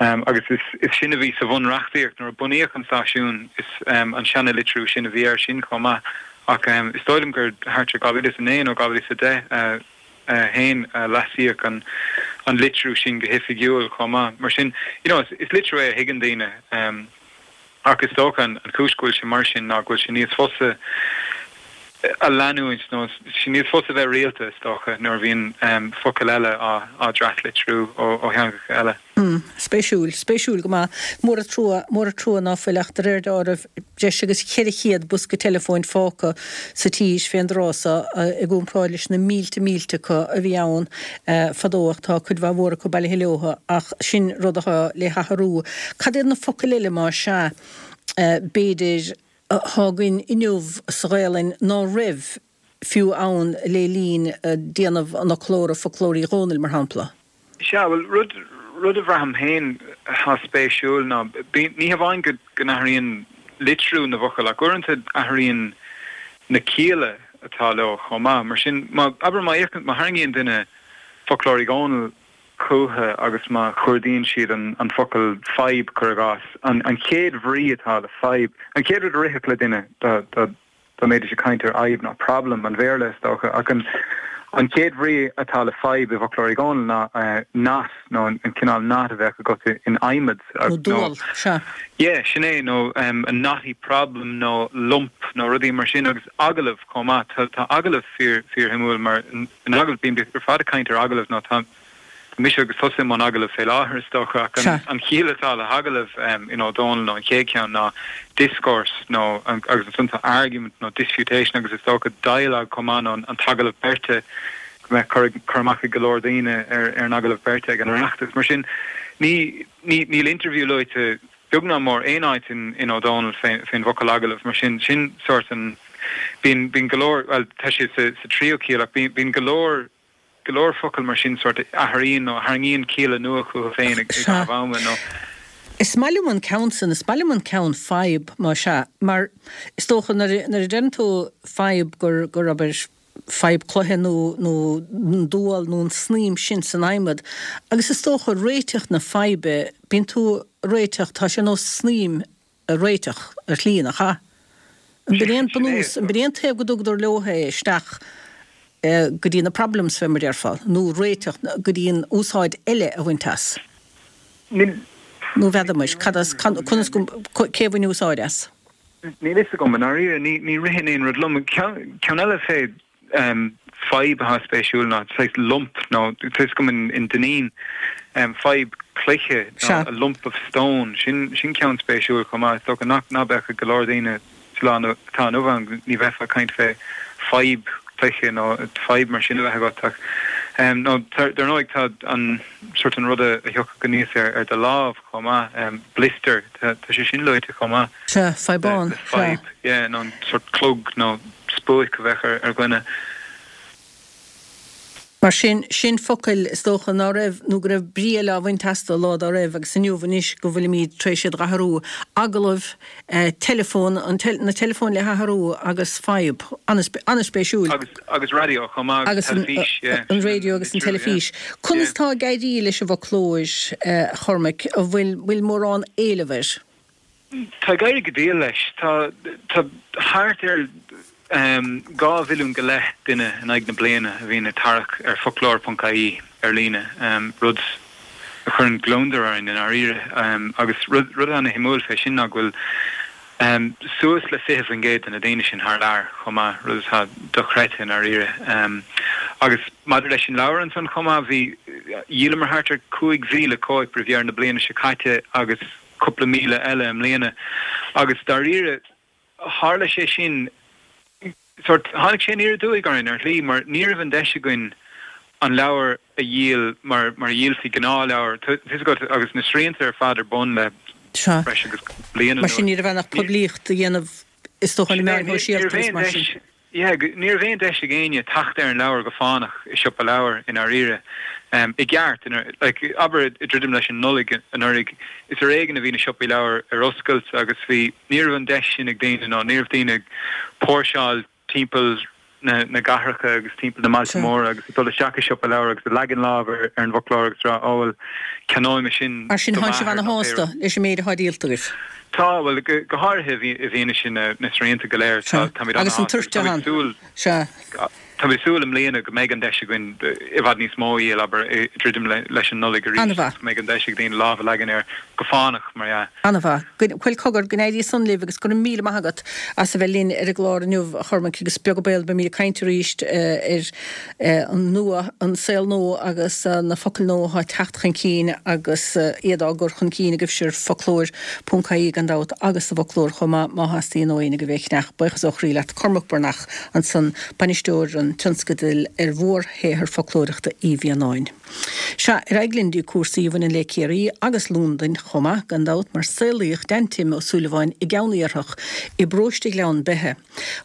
Um, agus is, is sin a bhí sa bhunreachtaíocht nuair a bunaíodh an stáisiún is um, an seanlitriú sin a bhí air sin chomh maith ach um, is dóigh liom gur thart ar dhá mhíle is a naoi nó dhá mhíle is a deich uh, uh, haon uh, leasaíodh an an litriú sin go hoifigiúil chomh maith mar sin you know, is, is litriú é a thuigeann daoine um, ach is dócha an an chúis go bhfuil sé mar sin ná go bhfuil sé níos fusa a leanúint nó sé níos fusa bheith rialta is dócha nuair a bhíonn um, focail eile á á dtraslitriú ó ó theangacha eile. Mm, spéisiúil, spéisiúil go maith mór an trua mór an trua ná fuil ach de réir dealraimh breis agus ceithre chéad bosca teileafóin fágtha sa tír fén dtráth seo i gcomparáid leis na mílte mílte acu a bhí ann uh, fadó ach tá cuid mhaith mhór acu bailithe leo ach sin rud atá le hathrú. Cad iad na focail eile mar sea uh, b'fhéidir atá againn inniu sa Ghaelainn ná raibh fiú ann le linn uh, déanamh an fhoclóra Foclóir Uí Dhónaill mar shampla. Sea well rud rud a bhraithim féin atá spéisiúil ná ní hamháin go go n-athraíonn litriú na bhfocal ach uaireanta athraíonn na cialla atá leo chomh maith mar sin má abair má má tharraingíonn duine Foclóir Uí Dhónaill chucu agus má chuardaíonn siad an, an focal fadhb cuir i gcás an, an chéad bhrí atá le fadhb an chéad rud a rithfeadh le duine dá dá mbeidís ag caint ar fhadhb ná problem an Bhéarla is dócha ach an an chéad bhrí atá le fadhb i bhfoclóir Uí Dhónaill ná knot nó an cineál knot a bheadh agat in adhmad Nó dual, sea. Yeah, sin é nó a knotty problem nó lump nó rudaí mar sin agus agallamh chomh maith. Tá tá agallamh fíor fíorshuimiúil mar in agallamh bíonn ar fad ag caint ar agallamh nó tá mise agus tusa i mbun agallamh fé láthair is dócha ach an chiall atá le hagallamh in Ó Dónaill nó an chéad cheann ná discourse nó agus ansan tá argument nó disputation agus is dócha dialogue chomh maith nó an t-agallamh beirte go mbeadh cur cur amach ag go leor daoine ar ar an agallamh beirte ag an Oireachtas. Mar sin ní ní níl interview luaite beag ná mór aon áit in in Ó Dónaill fén fén bhfocal agallamh mar sin sin sort an bíonn bíonn go leor bhuel tá sé sa sa tríú ciall ach bíonn bíonn go leor go leor focal mar sin sort a athraíonn nó a tharraingíonn cialla nua chucu féin ag caitheamh ama nó. Is maith liom an ceann sin, is maith liom an ceann fadhb má sea, mar is dócha nuair a deireann tú fadhb gur, gur abair fadhb cloiche nó, nó an dual nó an snaidhm sin san adhmad agus is dócha réiteach na faidhbe, bíonn tú ag réiteach, tá sé ar nós snaidhm a réiteach ar shlí, nach ea? An b'in é an bunús, an b'in é an taobh go dtugadar leo é isteach go dtí na problems fé mar déarfá, nó réiteach go dtí an úsáid eile a bhaint as? Nó n'fheadar muis, cad as, conas go, cé a bhain úsáid as? Níl fhios agam, i ndáiríre, ní, ní ritheann aon rud liom. Ceann, ceann eile fé fadhb atá spéisiúil ná saghas lump nó tá fhios agam in Dineen fadhb cloiche nó a lump of stone, sin sin ceann spéisiúil chomh maith. Is dócha nach ná beadh ag go leor daoine sa lá atá inniu ann, ní bheifeá ag caint fé fadhb cloiche nó fadhb mar sin a bheith agat ach nó dar ndóigh tá an sort an rud a thiocfadh aníos ar ar do lámh chomh maith, blister, tá sé sin luaite chomh maith. Sea, fadhbán, sea. Fadhb, yeah, nó an sort clog nó spuaic a bheadh ar ar dhuine. Mar sin, sin focail is dócha ná raibh, nó go raibh brí eile á bhaint astu lá dá raibh agus inniu anois go bhfuilimid tar éis iad a athrú. Agallamh, teileafón, an, na teileafóin le hathrú agus fadhb. An-spéisiúil. Agus, agus raidió chomh maith agus teilifís, yeah. An raidió agus an teilifís. Conas tá ag éirí leis an bhfoclóir, a Chormaic, an bhfuil, bhfuil mórán éileamh air? Tá ag éirí go diail leis. Tá, tá thart ar dhá mhilliún go leith duine in aghaidh na bliana a bhíonn ag tarrac ar foclóir ponc ie ar líne, rud a chuireann gliondar orainn i ndáiríre. Agus rud, rud ana-shuimiúil fé sin ná go bhfuil suas le fiche faoin gcéad de na daoine sin thar lear chomh maith, rud atá dochreidte i ndáiríre. Agus maidir leis an leabhar ansan chomh maith, bhí, dhíolamar thart ar cúig mhíle cóip roimh dheireadh na bliana seo caite agus cúpla míle eile i mbliana agus dáiríre tharla sé sin, sórt, tháinig sé aniar aduaidh orainn ar shlí mar ní raibh an deis againn an leabhar a dhíol mar mar a dhíolfaí gnáthleabhar, tá fhios agat, agus na srianta ar fad ar bun le Sea. breis agus bliain Mar sin anuas. ní raibh ann ach poiblíocht a dhéanamh is dócha ar na Sin é, meáin ní raibh shóisialta agus aon mar sin. deis, yeah, ní raibh aon deis ag éinne teacht ar an leabhar go fánach i siopa leabhar i ndáiríre. I gceart, like, abair ag druidim leis an Nollaig anuraidh, is ar éigean a bhí na siopaí leabhar ar oscailt agus bhí, ní raibh an deis sin ag daoine nó ní raibh daoine ag póirseáil timpeall na na gcathracha agus timpeall na mbailte móra agus ag dul isteach i siopa leabhar agus ag leagan lámh ar ar an bhfoclóir agus ag rá, ó bhuel, ceannóidh mé sin Mar sin do thánn sibh m'athair nó pé ana-shásta rud. leis an méid atá díolta agaibh. Tá, bhuel, go go háirithe i bhfianaise na na srianta go léir, Sea, tá táimid agus an ana-shásta agus táimid toirteán. ag súil, Sea. Tá mé ag súil i mbliana go mbeidh an deis againn i bhfad níos mó a dhíol, abair, ag druidim leis an Nollaig arís An-mhaith. agus go mbeidh an deis ag daoine lámh a leagan air go fánach, mar dhea. An-mhaith. Bhuel, cogar, go n-éirí san libh agus go raibh míle maith agat as a bheith linn ar an gclár inniu, a Chormaic, agus beag an baol beimid ag caint arís ar an nua, an saol nua agus na focail nua atá ag teacht chun cinn agus iad á gcur chun cinn agaibhse ar foclóir ponc ie gan dabht agus sa bhfoclóir chomh maith má theastaíonn ó éinne agaibh é a cheannach. Buíochas ó chroí leat, Cormac Breathnach ansan, bainisteoir an tionscadail ar mhórshaothar foclóireachta Uí Mhianáin. Sea, ar aghaidh linn dtí cúrsaí a bhaineann le Ciarraí agus Londain chomh maith, gan dabht, mar saolaíodh Dan Tim Ó Súilleabháin i gCeann Iarthach i bparóiste Ghleann Beithe.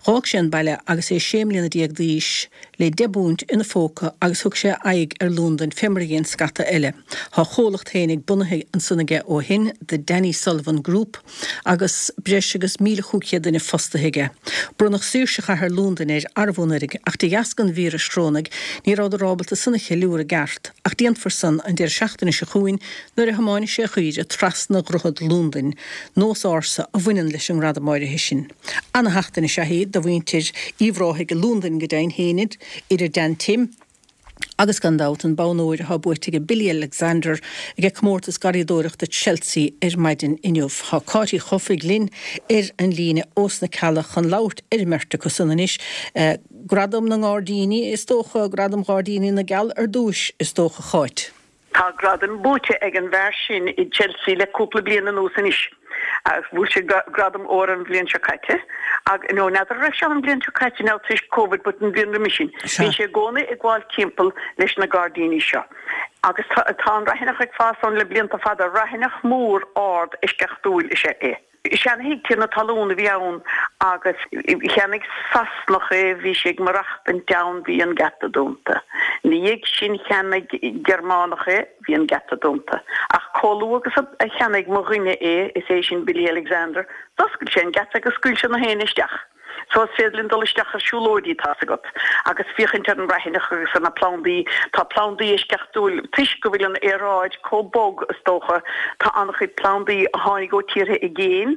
Dh'fhág sé an baile agus é sé mbliana déag d'aois le deich bpunt ina phóca agus thug sé a aghaidh ar Londain fé mar a dhein scata eile. Tá a chomhlacht fhéinig bunaithe ansan aige ó shin, The Danny Sullivan Group, agus breis agus míle chúig chéad duine fostaithe aige. Bronnadh saoirse chathair Londain air arbh anuraidh, ach de dheasca an víris chorónaigh ní rabhadar ábalta san a cheiliúradh i gceart. ach déanfar san an deireadh seachtaine seo chugainn nuair a thiomáinfidh sé a chaoire trasna Dhroichead Lúndain, nós ársa a bhaineann leis an ngradam áirithe sin. Ana-sheachtain is ea í do mhuintir Uíbh Ráthaigh i Lúndain go deimhin féin, idir Dan Tim, Agus gan dabht an bonn óir atá buaite ag Billy Alexander ag comórtas garraíodóireachta Chelsea ar maidin inniu. Tá Cáit Uí Chofaigh linn ar an líne ós na Cealla chun labhairt ar an mbeirt acu san anois. Gradam na nGairdíní is dócha, Gradam Ghairdíní na gCeall ar dtúis is dócha, a Cháit. Tá gradam buaite ag an bhfear sin i Chelsea le cúpla bliain anuas anois. Bhuaigh sé gradam óir an bhliain seo caite, ag, nó n'fheadar an raibh sé an bhliain seo caite now toisc Covid but an bhliain roimis sin. Bíonn sé i gcónaí ag gabháil timpeall leis na gairdíní seo. Agus tá, tá an raithineach ag fás ann le blianta fada. Raithineach mór ard eisceachtúil is ea é. Seanthigh tiarna talún a bhí ann agus cheannaigh Sasanach é, bhí sé ag maireachtaint ann, bhí an geata dúnta. Ina dhiaidh sin cheannaigh Gearmánach é, bhí an geata dúnta. Ach chomh luath agus a cheannaigh mo dhuine é, is é sin Billy Alexander, d'oscail sé an geata agus scaoil sé na héinne isteach. So is féidir linn dul isteach ar siúlóidí, tá's agat, agus féachaint ar an raithineach agus ar na plandaí. Tá plandaí eisceachtúil, toisc go bhfuil an aeráid chomh bog, is dócha, tá an-chuid plandaí a tháinig ó tíortha i gcéin,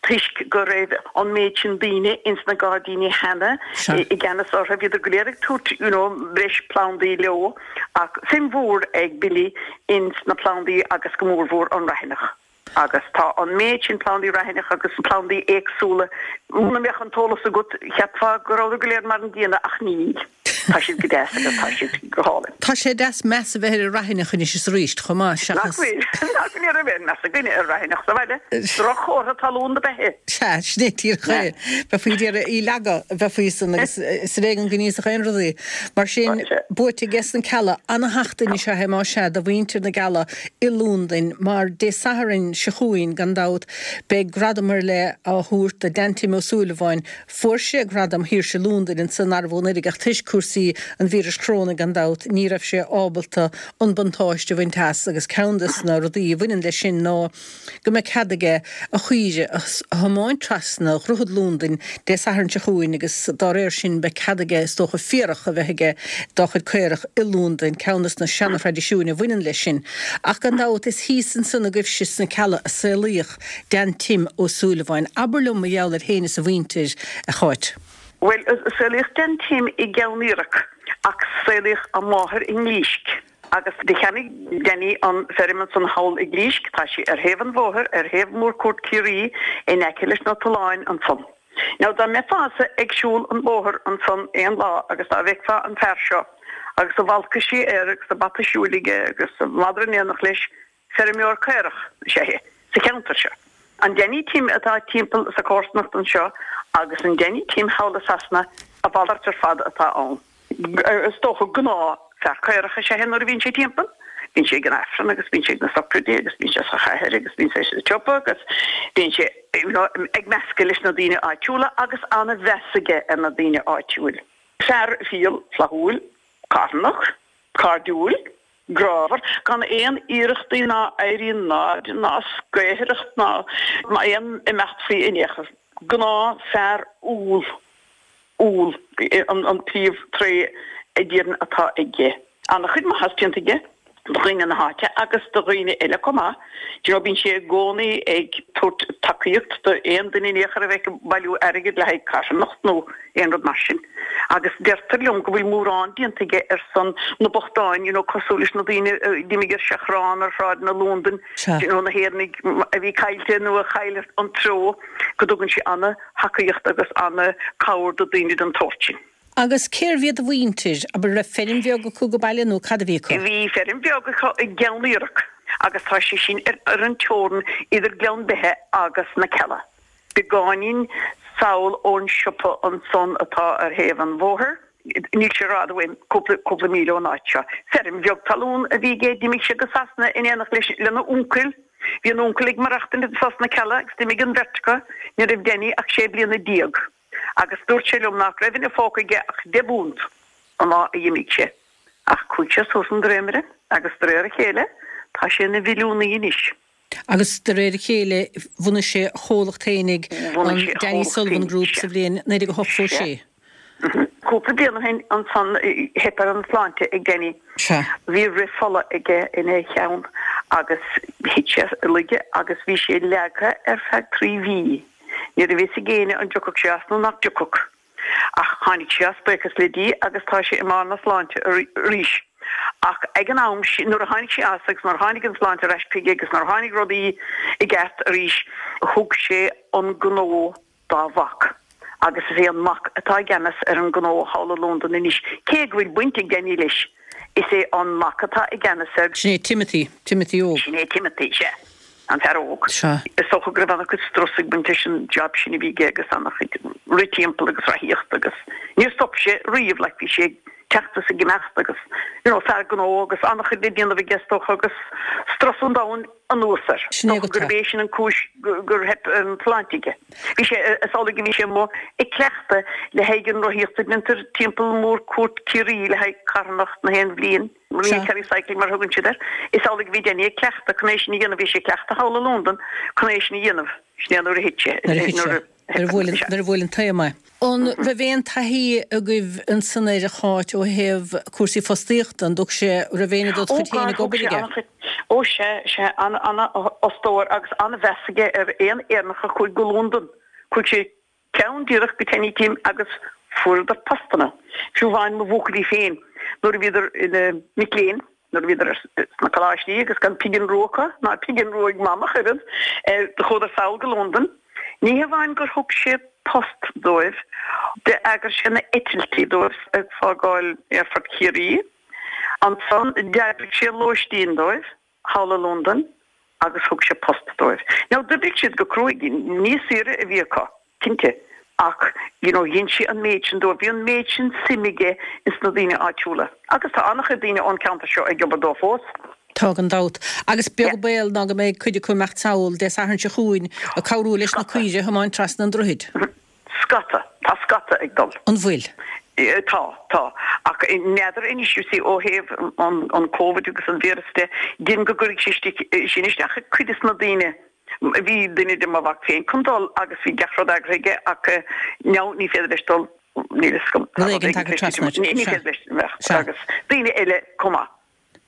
toisc go raibh an méid sin daoine ins na gairdíní cheana i gceannas orthu, bhíodar go léir ag tabhairt, you know, breis plandaí leo, ach suim mhór ag Billy ins na plandaí agus go mórmhór an raithineach. Agus tá an méid sin plandaí raithineach agus plandaí éagsúla, muna mbeadh an t-eolas agat, cheapfá go rabhadar go léir mar an gcéanna ach níl. Tá siad go deas agus tá siad go hálainn. Tá sé deas meas a bheith ar an raithineach anois is arís chomh maith, seachas. Nach bhfuil? Nach bhfuil? Ní raibh aon meas againne ar raithineach sa bhaile. Droch-chomhartha talún dob ea é. Sea, sin é díreach é. Bheifí ag iarraidh í a leagadh, bheifí san agus is ar éigean go n-íosfadh aon rud í. Mar sin, buaite aige sna Cealla, ana-sheachtain is ea é más ea do mhuintir na gCealla i Lúndain, mar Dé Sathairn seo chugainn, gan dabht, beidh gradam ar leith á thabhairt do Dan Tim Ó Súilleabháin. Fuair sé gradam Shaoirse Lúndain ansan arbh anuraidh ach toisc cúrsaí an víris choróna, gan dabht, ní raibh sé ábalta an buntáiste a bhaint as agus ceann de na rudaí a bhaineann leis sin ná go mbeidh cead aige a chaoire a thiomáint trasna Dhroichead Lúndain Dé Sathairn seo chugainn agus dá réir sin beidh cead aige is dócha féarach a bheith aige dá chuid caorach i Lúndain, ceann de na seana-thraidisiúin a bhaineann leis sin. Ach gan dabht is thíos ansan agaibhse sna Cealla a saolaíodh Dan Tim Ó Súilleabháin. Abair liom mar gheall air féin is a mhuintir, a Cháit. Bhuel, saolaíodh Dan Tim i gCeann Fhiarach ach saolaíodh a mháthair i nGlísc. Agus do cheannaigh Danny an feirm ansan thall i gClísc, tá sí ar thaobh an bhóthair, ar thaobh Mhórchuaird Ciarraí, in aice leis na tolláin ansan. Now dá mbeifeása ag siúl an bhóthair ansan aon lá agus dá bhfeicfeá an fear seo agus a bhalcaisí air agus a bata siúil aige agus a mhadra in éineacht leis, feirmeoir caorach is ea é sa cheantar seo. An Danny Tim atá timpeall sa chomharsanacht anseo agus an Danny Tim thall i Sasana, a mhalairt ar fad atá ann. Is dócha gnáth fear caorach is ea é nuair a bhíonn sé timpeall. Bíonn sé ag an Aifreann agus bíonn sé ag na socraidí agus bíonn sé sa chathair agus bíonn sé sa tsiopa agus bíonn sé ag meascadh leis na daoine áitiúla agus an-mheas aige ar na daoine áitiúil. Fear fial, flaithiúil, carthanach, cairdiúil, grámhar, gan aon iarrachtaí ná éirí in airde ná scaothaireacht ná aon imeacht faoi in aon chor. Gnáth fear umhal. Umhal an príomh tréith a déarfainn atá aige. Ana-chuid maitheas déanta aige do dhaoine na háite agus do dhaoine eile chomh maith. Do you know bíonn sé i gcónaí ag tabhairt tacaíocht do aon duine in aon chor a bheadh ag bailiú airgid le haghaidh carthanacht nó aon rud mar sin. Agus deirtear liom go bhfuil mórán déanta aige ar son na bochtáin, you know cosúil leis na daoine a d'imigh ar seachrán ar shráideanna Lúndain, do you know na hÉireannaigh a bhí caillte nó a chaill an treo, go dtugann sé ana thacaíocht agus ana-cabhair do daoine den tsórt sin. Agus cérbh iad a mhuintir? Abair, raibh feirm bheag acu go baile nó cad a bhí acu? Bhí feirm bheag acu i gCeann Fhiarach agus tá sé sin ar an teorainn idir Gleann Beithe agus na Cealla. Beagáinín sall ón siopa ansan atá ar thaobh an bhóthair. Níl sé rófhada uaim, cúpla, cúpla míle ón áit seo. Feirm bheag talún a bhí aige, d'imigh sé go Sasana in éineacht leis, lena uncail. Bhí an uncail ag maireachtaint anso sna Cealla agus d'imigh an bheirt acu, ní raibh Danny ach sé bliana déag. Agus dúirt sé liom nach raibh ina phóca aige ach deich bpunt an lá a d'imigh sé. Ach chuaigh sé suas an dréimire agus de réir a chéile tá sé ina mhilliúnaí anois. Agus de réir a chéile bhunaigh sé a chomhlacht fhéinig, an Danny Sullivan Group, sa bhliain naoi déag a hochtó sé. Cúpla bliain ó shin ansan theip ar an tsláinte ag Danny. Sea. Bhí rith fola aige ina cheann agus thit sé i laige agus bhí sé leagtha ar feadh trí mhí. Ní raibh fhios ag éinne an dtiocfadh sé as nó nach dtiocfadh. Ach tháinig sé as, buíochas le Dia, agus tá sé i mbarr na sláinte arís. Ach ag an am sin, nuair a tháinig sé as agus nuair a tháinig an tsláinte ar ais chuige agus nuair a tháinig rudaí i gceart arís, thug sé an gnó dá mhac. Agus is é an mac atá i gceannas ar an ngnó thall i Londain anois. Cé go bhfuil baint ag Danny leis, is é an mac atá i gceannas air. Sin é Timothy, Timothy óg. Sin é Timothy, sea. An fear óg. Sea. Is dócha go raibh an-chuid strus ag baint leis an job sin a bhí aige agus an-chuid rith timpeall agus rothaíocht agus níor stop sé riamh like bhí sé ag teacht is ag imeacht agus you know fear gnó agus an-chuid le déanamh aige is dócha agus strus an domhain anuas air. Sin é Is dócha go gurb é sin an cúis gur theip ar an tsláinte aige. Bhí sé is amhlaidh go bhí sé amuigh ag cleachtadh le haghaidh an rothaíocht a dhéantar timpeall mhórchuairt Chiarraí le haghaidh carthanacht na haon bhliain. Sea. Kerry Cycling mar a thugann siad air. Is amhlaidh a bhí Danny ag cleachtadh chun é sin a dhéanamh. Bhí sé ag cleachtadh thall i Londain chun é sin a dhéanamh. Sin é nuair a thit sé. Nuair a thit sé. Nuair Nuair a bhuail an, nuair a bhuail an taom é. An raibh aon taithí agaibh ansan ar a Cháit ó thaobh cúrsaí fostaíochta? An dtug sé, raibh éinne dod Ó chuid féin God, ag thug obair sé aige? an-chuid, ó sea, sea, an-fhostóir agus an-mheas aige ar aon Éireannach a chuaigh go Londain. Chuaigh sé ceann díreach go Danny Tim agus fuaireadar postanna. Fiú amháin mo bhuachaillí féin, nuair a bhíodar ina mic léinn, nuair a bhíodar sna coláistí agus gan pingin rua acu, ná pingin rua ag Mam ach oiread, do chuadar sall go Londain. Ní hamháin gur thug sé post dóibh, d'eagraigh sé na eitiltí dóibh ag fágáil Aerfort Chiarraí. Ansan d'eagraigh sé lóistín dóibh thall i Londain agus thug sé post dóibh. Now d'oibrigh siad go cruaidh, ní saoire a bhí acu, cinnte, ach you know dhein sé an méid sin dóibh, bhí an méid sin suim aige ins na daoine áitiúla. Agus tá an-chuid daoine ón ceantar seo ag obair dó fós. Tá gan dabht. Agus beag Yeah. baol ná go mbeidh cuid acu ag imeacht sall Dé Sathairn seo chugainn ag cabhrú leis na Scata. caoirigh a thiomáint trasna an droichid. Scata. Tá scata ag dul. An bhfuil? Tá, tá. Ach n'fheadar anois, you see, ó thaobh an an Covid agus an víreas de, dein go gcuirfidh sé sin isteach ar cuid des na daoine. Bhí duine de mo mhac féin chun dul agus bhí gach rud eagraithe aige ach now ní féidir leis dul, níl fhios agam, tá Rud rud éigin éigin tagtha tar éis trasna titim, air. ní Sea. féidir leis imeacht Sea. agus daoine eile chomh maith.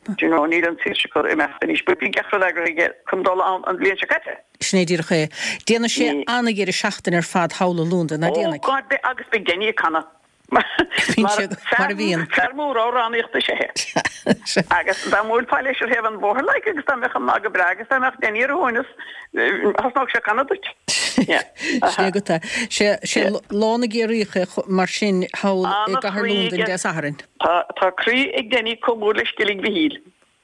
Do you know, níl an tsaoirse acu imeacht anois, but bhí gach rud eagraithe aige chun dul ann an bhliain seo caite. Sin é díreach é. Déanfaidh sé Ní. an-dheireadh seachtaine ar fad thall i Londain, ná Oh déanfaidh? God, beidh agus beidh Danny ag canadh. Mar Bíonn sé, mar a bhíonn. fear mór amhránaíochta is ea é. Agus dá mbuailfeá leis ar thaobh an bhóthair like agus dá mbeadh an lá go breá agus dá mbeadh Danny ar a shuaimhneas, thosnódh sé ag canadh duit. Yeah. Sin é agat é. Sé, sé lá na gCiarraíoch é mar sin thall i gcathair An-chroí Londain aige. Dé Sathairn. Tá, tá croí ag Danny chomh mór le Sceilg Mhichíl.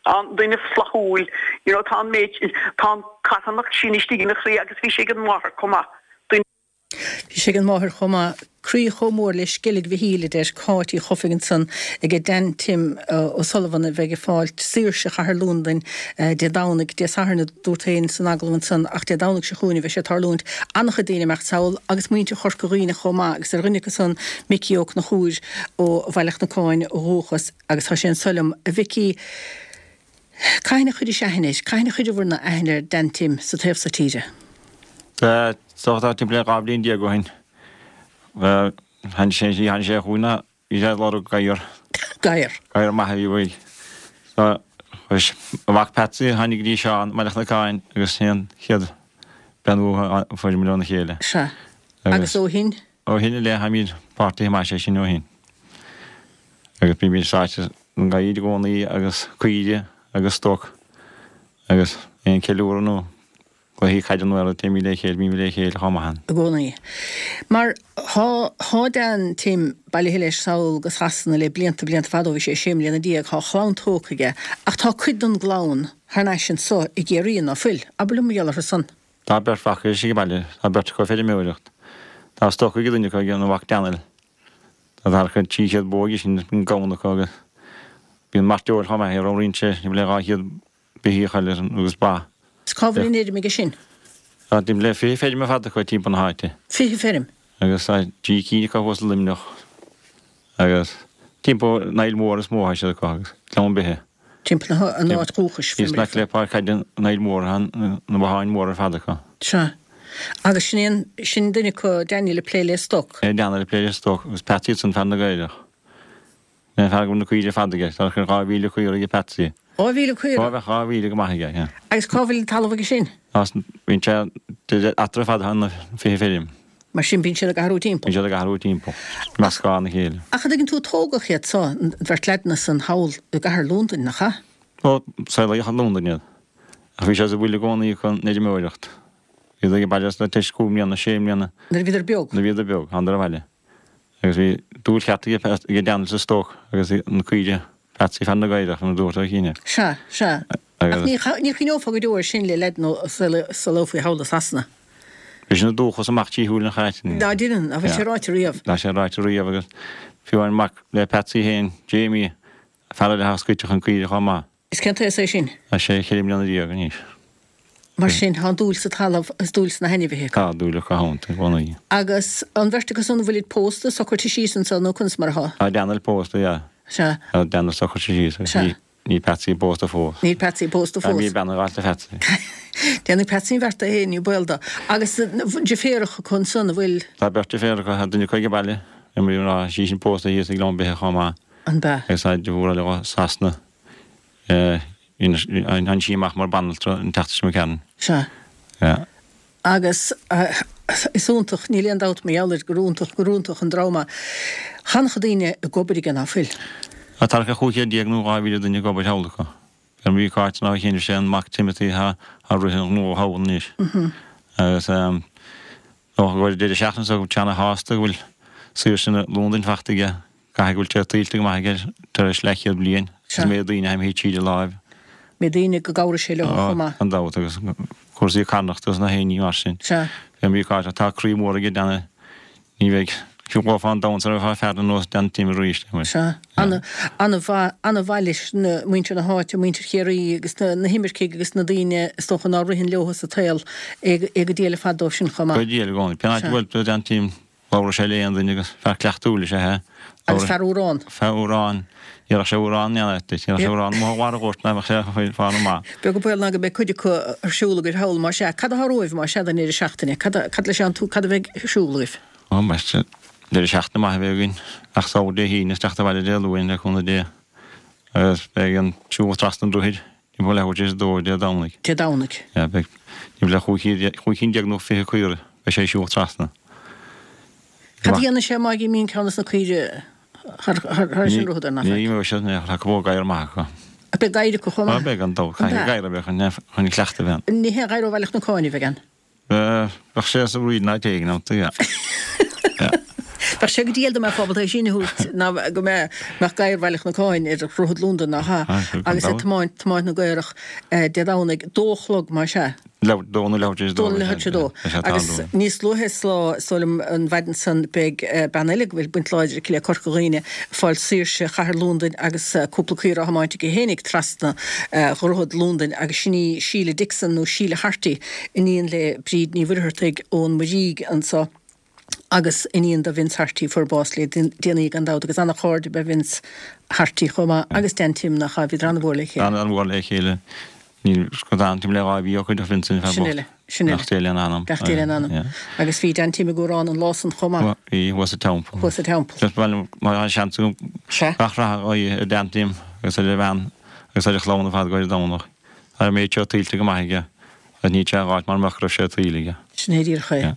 An duine flaithiúil, you know, tá an méid, tá an carthanacht sin istigh ina chroí agus bhí sé ag an máthair chomh maith. Duine. Bhí sé ag an máthair chomh maith. Croí chomh mór le Sceilg Mhichíl, a deir Cáit Uí Chofaigh ansan aige Dan Tim O'Sullivan a bheidh ag fáilt saoirse chathair Londain Dé Domhnaigh, Dé Sathairn a dúrt féin san agallamh ansan ach Dé Domhnaigh seo chugainn a bheidh sé ag tarlúint. An-chuid daoine ag imeacht sall agus muintir Chorca Dhuibhne chomh maith agus ar dhuine acu san Micí Ó Conchúir ó Bhaile Chnocáin ó dhúchas agus tá sé anso liom. A Mhicí, cathain a chuiris aithne air, cathain a chuireabhair-ne aithne ar Dan Tim sa taobh so tíre? Tá timpeall le dhá bhliain déag ó shin. Tháinig sé tháinig sé chugainn bhí sé ag lorg gadhar. Gadhar. Gadhar maith a bhí uaidh. So a mhac Patsy tháinig go dtí Seán Baile Chnocáin agus sin an chéad beannú a fuair muid óna chéile. Sea. Agus ó shin? Ó shin i leith táimid páirtithe maith sé sin ó shin. Agus bímid sáite an gadhair i gcónaí agus caoire agus stoc agus aon ceiliúradh nó cluichí caide nó eile téimid le chéile, bímid le chéile chomh maith. I gcónaí. Mar thá, thá Dan Tim bailithe leis sall go Sasana le blianta, blianta fada ó bhí sé sé mbliana déag, thá a chlann tógtha aige, ach tá cuid den gclann thar n-ais anso i gCiarraí, ná fuil? Abair liom mar gheall orthu san. Tá beirt mhac ag baile, tá beirt acu ag feirmeoireacht. Tá stoc ag duine acu, ag an mhac Daniel. Tá thart ar trí chéad bó aige sin, bíonn gamhain acu agus bíonn mairteoil chomh maith, ramhraíonn sé timpeall le dhá chéad beithíoch eile agus ba. Is cá bhfuil an fheirm aige sin? Tá timpeall le fiche feirm ar fad acu timpeall na háite. Fiche feirm? Agus tá trí cinn acu thuas i Luimneach agus timpeall an Aill Mhór is mó atá siad acu agus Gleann Beithe. Timpeall na an áit dhúchais, Thíos in aice le páirc caide an Aill Mhór, na botháin mhóra ar fad acu. Sea. Agus sin é an, sin duine acu, Daniel ag plé le stoc. É Daniel ag plé le stoc agus Patsy ansan fear na gcaorach. Sin é fear go bhfuil na caoire ar fad aige, tá os cionn dhá mhíle caora aige Patsy. Dhá mhíle caora? Dhá, bheadh dhá mhíle go maith aige, yeah. Agus cá bhfuil an talamh aige sin? Bíonn sé eatarthu ar fad tá na fiche feirm. Mar sin bíonn siad ag athrú timpeall. Bíonn siad ag athrú timpeall, meascán a chéile. Ach an dtuigeann tú, tógadh iad so, an bheirt leaideanna san thall i gcathair Londain, nach ea? Ó, saolaíodh i Londain iad. Ach bhí sé sa bhfuil i gcónaí acu an fheirmeoireacht. Bhíodar ag baile tar éis cúig mbliana, sé mbliana. Nuair a bhíodar beag? Nuair a bhíodar beag, thánadar abhaile. Agus bhí dúil cheart ag Daniel sa stoc agus na caoire. Patsy fear na gcaorach, mar a dúirt Ó Cinn. Sea, sea. Ach ní chuimhneofá go deo air sin le leaid nó saolófaí thall i Sasana. Bhí sin ina dúchas amach trí shúil an chait. Ná deineann, ná bhfuil sé ráite riamh. Tá sé ráite riamh agus fiú an mac le Patsy féin, Jamie, fear eile atá scoite chun caoire chomh maith. Is cén t-aos é sin? Tá sé ceithre mbliana déag anois. Mar sin, tá an dúil sa talamh agus dúil sna hainmhithe acu. Tá dúil acu iontu i gcónaí. Agus an bheirt acu san, an bhfuilid pósta, socraithe síos anso nó conas mar atá? Tá Daniel pósta, yeah. Sea. Tá Daniel socraithe síos agus Sea. níl Patsy pósta fós. Níl Patsy pósta fós. Níl bean ag gabháil do Phatsy. Déanfaidh Patsy an bheart é féin, ní baol dó. Agus deirféaracha acu ansan, an bhfuil? Tá beirt deirféar acu, tá duine acu ag baile, tá sí sin pósta thíos ag Gleann Beithe chomh maith. An b'ea? Agus tá deirfiúr eile i Sasana. Tháinig sí amach mar banaltra an tseachtain seo imigh tharainn. Sea. Yeah. Agus is iontach, níl aon dabht mar gheall air gur iontach, gur iontach an dream é. Tá an-chuid daoine ag obair aige, ná fuil? Tá thart ar chúig chéad déag nó dhá mhíle duine ag obair thall acu. Ar mhí Cáit ná chinneadh sé an mac Timothy atá ag rith an ghnó thall anois. Agus dócha go bhfuil deireadh seachtaine seo go bhfuil sé ana-shásta go bhfuil saoirse na Londain fachta aige. Caithfidh go bhfuil sé tuillte go maith aige tar éis leathchéad bliain agus an méid daoine atá imithe tríd a láimh. Méid daoine go gcabhraigh sé leo chomh maith. Gan dabht agus cúrsaí carthanachta agus na héinní mar sin. Sea. Bhí an Cáit tá croí mór aige Dan ní bheidh fiú dhá fán domhan sar a bheifeá fear ar nós Dan Tim arís. Sea. Ana, ana-mhaith, ana-mhaith leis na muintir na háite, muintir Chiarraí agus na, na himircigh agus na daoine is dócha ná ritheann leo sa tsaol é, é go diail ar fad dóibh sin chomh maith. Go diail i gcónaí. Pé áit a Sea. bhfuil tú Dan Tim Labhradh sé le aon duine agus fear cleachtúil is ea é. Agus fear amhrán. Fear amhrán. Ní raibh sé amhrán in aon áit duit. Ní raibh sé amhrán amuigh ó bharr an ghoirt ná bheadh sé faoi fán amach. Beag an baol ná go mbeidh cuid acu ar siúl agaibh thall más ea. Cad atá romhaibh más ea don deireadh seachtaine? Cad cad leis an tú cad a bheidh ar siúl agaibh? Ó más ea deireadh seachtaine maith a bheidh againn. Ach soir Dé hAoine is teacht abhaile Dé Luain le cúnamh Dé. Agus beidh an siúl trasna an droichid timpeall leathuair tar éis a dó Dé Domhnaigh. Dé Domhnaigh. Yeah, beidh timpeall le chúig cinn déag nó fiche caora beidh sé ag siúl trasna. Cad a dhéanann sé má imíonn ceann des na caoire thar sin rud ar na Ní imeoidh siad, ní tá go gadhar maith acu. Beidh gadhair acu chomh maith? Beidh gan dabht, caithfidh gadhar a bheith chun chun cleachtadh a bheith ann. Ní haon ghadhar ó Bhaile Chnocáin a bheidh ann? Bheadh sé sa bhfríd in áit éigin ann, yeah. Bheadh sé go diail dá mbeifeá ábalta é sin a thabhairt ná go mbeadh gadhar Bhaile Chnocáin ar Dhroichead Londan, nach ea? Agus ag tiomáint tiomáint na gcaorach Dé Domhnaigh, dó a chlog más ea. Dó nó leathuair tar éis a dó. Dó nó leathuair tar éis a dó. Agus níos luaithe sa lá, is dóigh liom, an mhaidin san, beidh bean eile go bhfuil baint láidir aici le Corca Dhuibhne ag fáil saoirse chathair Londain agus cúpla caora á thiomáint aici fhéinig trasna Dhroichead Londain agus sin í Síle Dixon nó Síle Harty, iníon le Bríd Ní Mhuircheartaigh ón Muirígh anso. Agus iníon do Vince Harty, fuair bás le déanaí gan dabht, agus ana-chairde ab ea Vince Harty chomh maith, agus Dan Tim, nach ea, bhíodar an-mhór le chéile. An-mhór le chéile. Níl Dan Tim le dhá mhí ó cuireadh Vincent fear Sin bocht. uile, sin uile. Gach dé lena anam. Gach dé lena anam. Yeah. Agus bhí Dan Tim ag amhrán an lá san chomh maith. Bhí, thuas sa teampall. Thuas sa teampall. Just ba mhaith liom, má tá seans agam, Sea. gach rath a ghuí ar Dan Tim agus ar a bhean agus ar a chlann ar fad go dtí Domhnach. Tá an méid seo tuillte go maith aige agus níl sé dhá áit mar a mbeadh go raibh sé tuillte aige. Sin é díreach é. Yeah.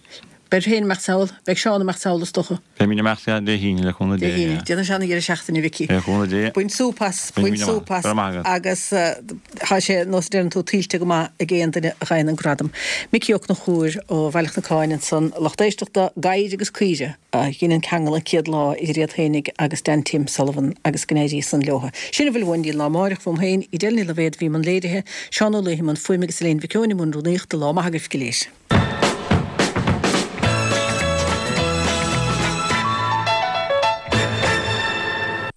Beidh féin ag imeacht sall, beidh Seán ag imeacht sall is dócha. Beidh mé ag imeacht Dé hAoine le cúnamh Dé Dé. hAoine. Déanfaidh Seán an deireadh seachtaine, Mhicí. Le cúnamh Dé. Bain súp as, bain súp as. Go raibh maith agat. Agus tá sé, nós a deireann tú, tuillte go maith ag aon duine a gheibheann an gradam. Micí Ó Conchúir ó Bhaile Chnocáin ansan, lucht éisteachta, gadhair agus caoire a dhein an ceangal an chéad lá idir iad fhéinig agus Dan Tim Sullivan agus go n-éirí san leotha. Sin a bhfuil uainn go dtí an lá amáireach uaim féin, Edel Ní Loibhéad a bhí i mbun léirithe, Seán Ó Laoi i mbun fuaime agus Elaine Mhic Eoin i mbun rúnaíochta, lá maith agaibh go léir.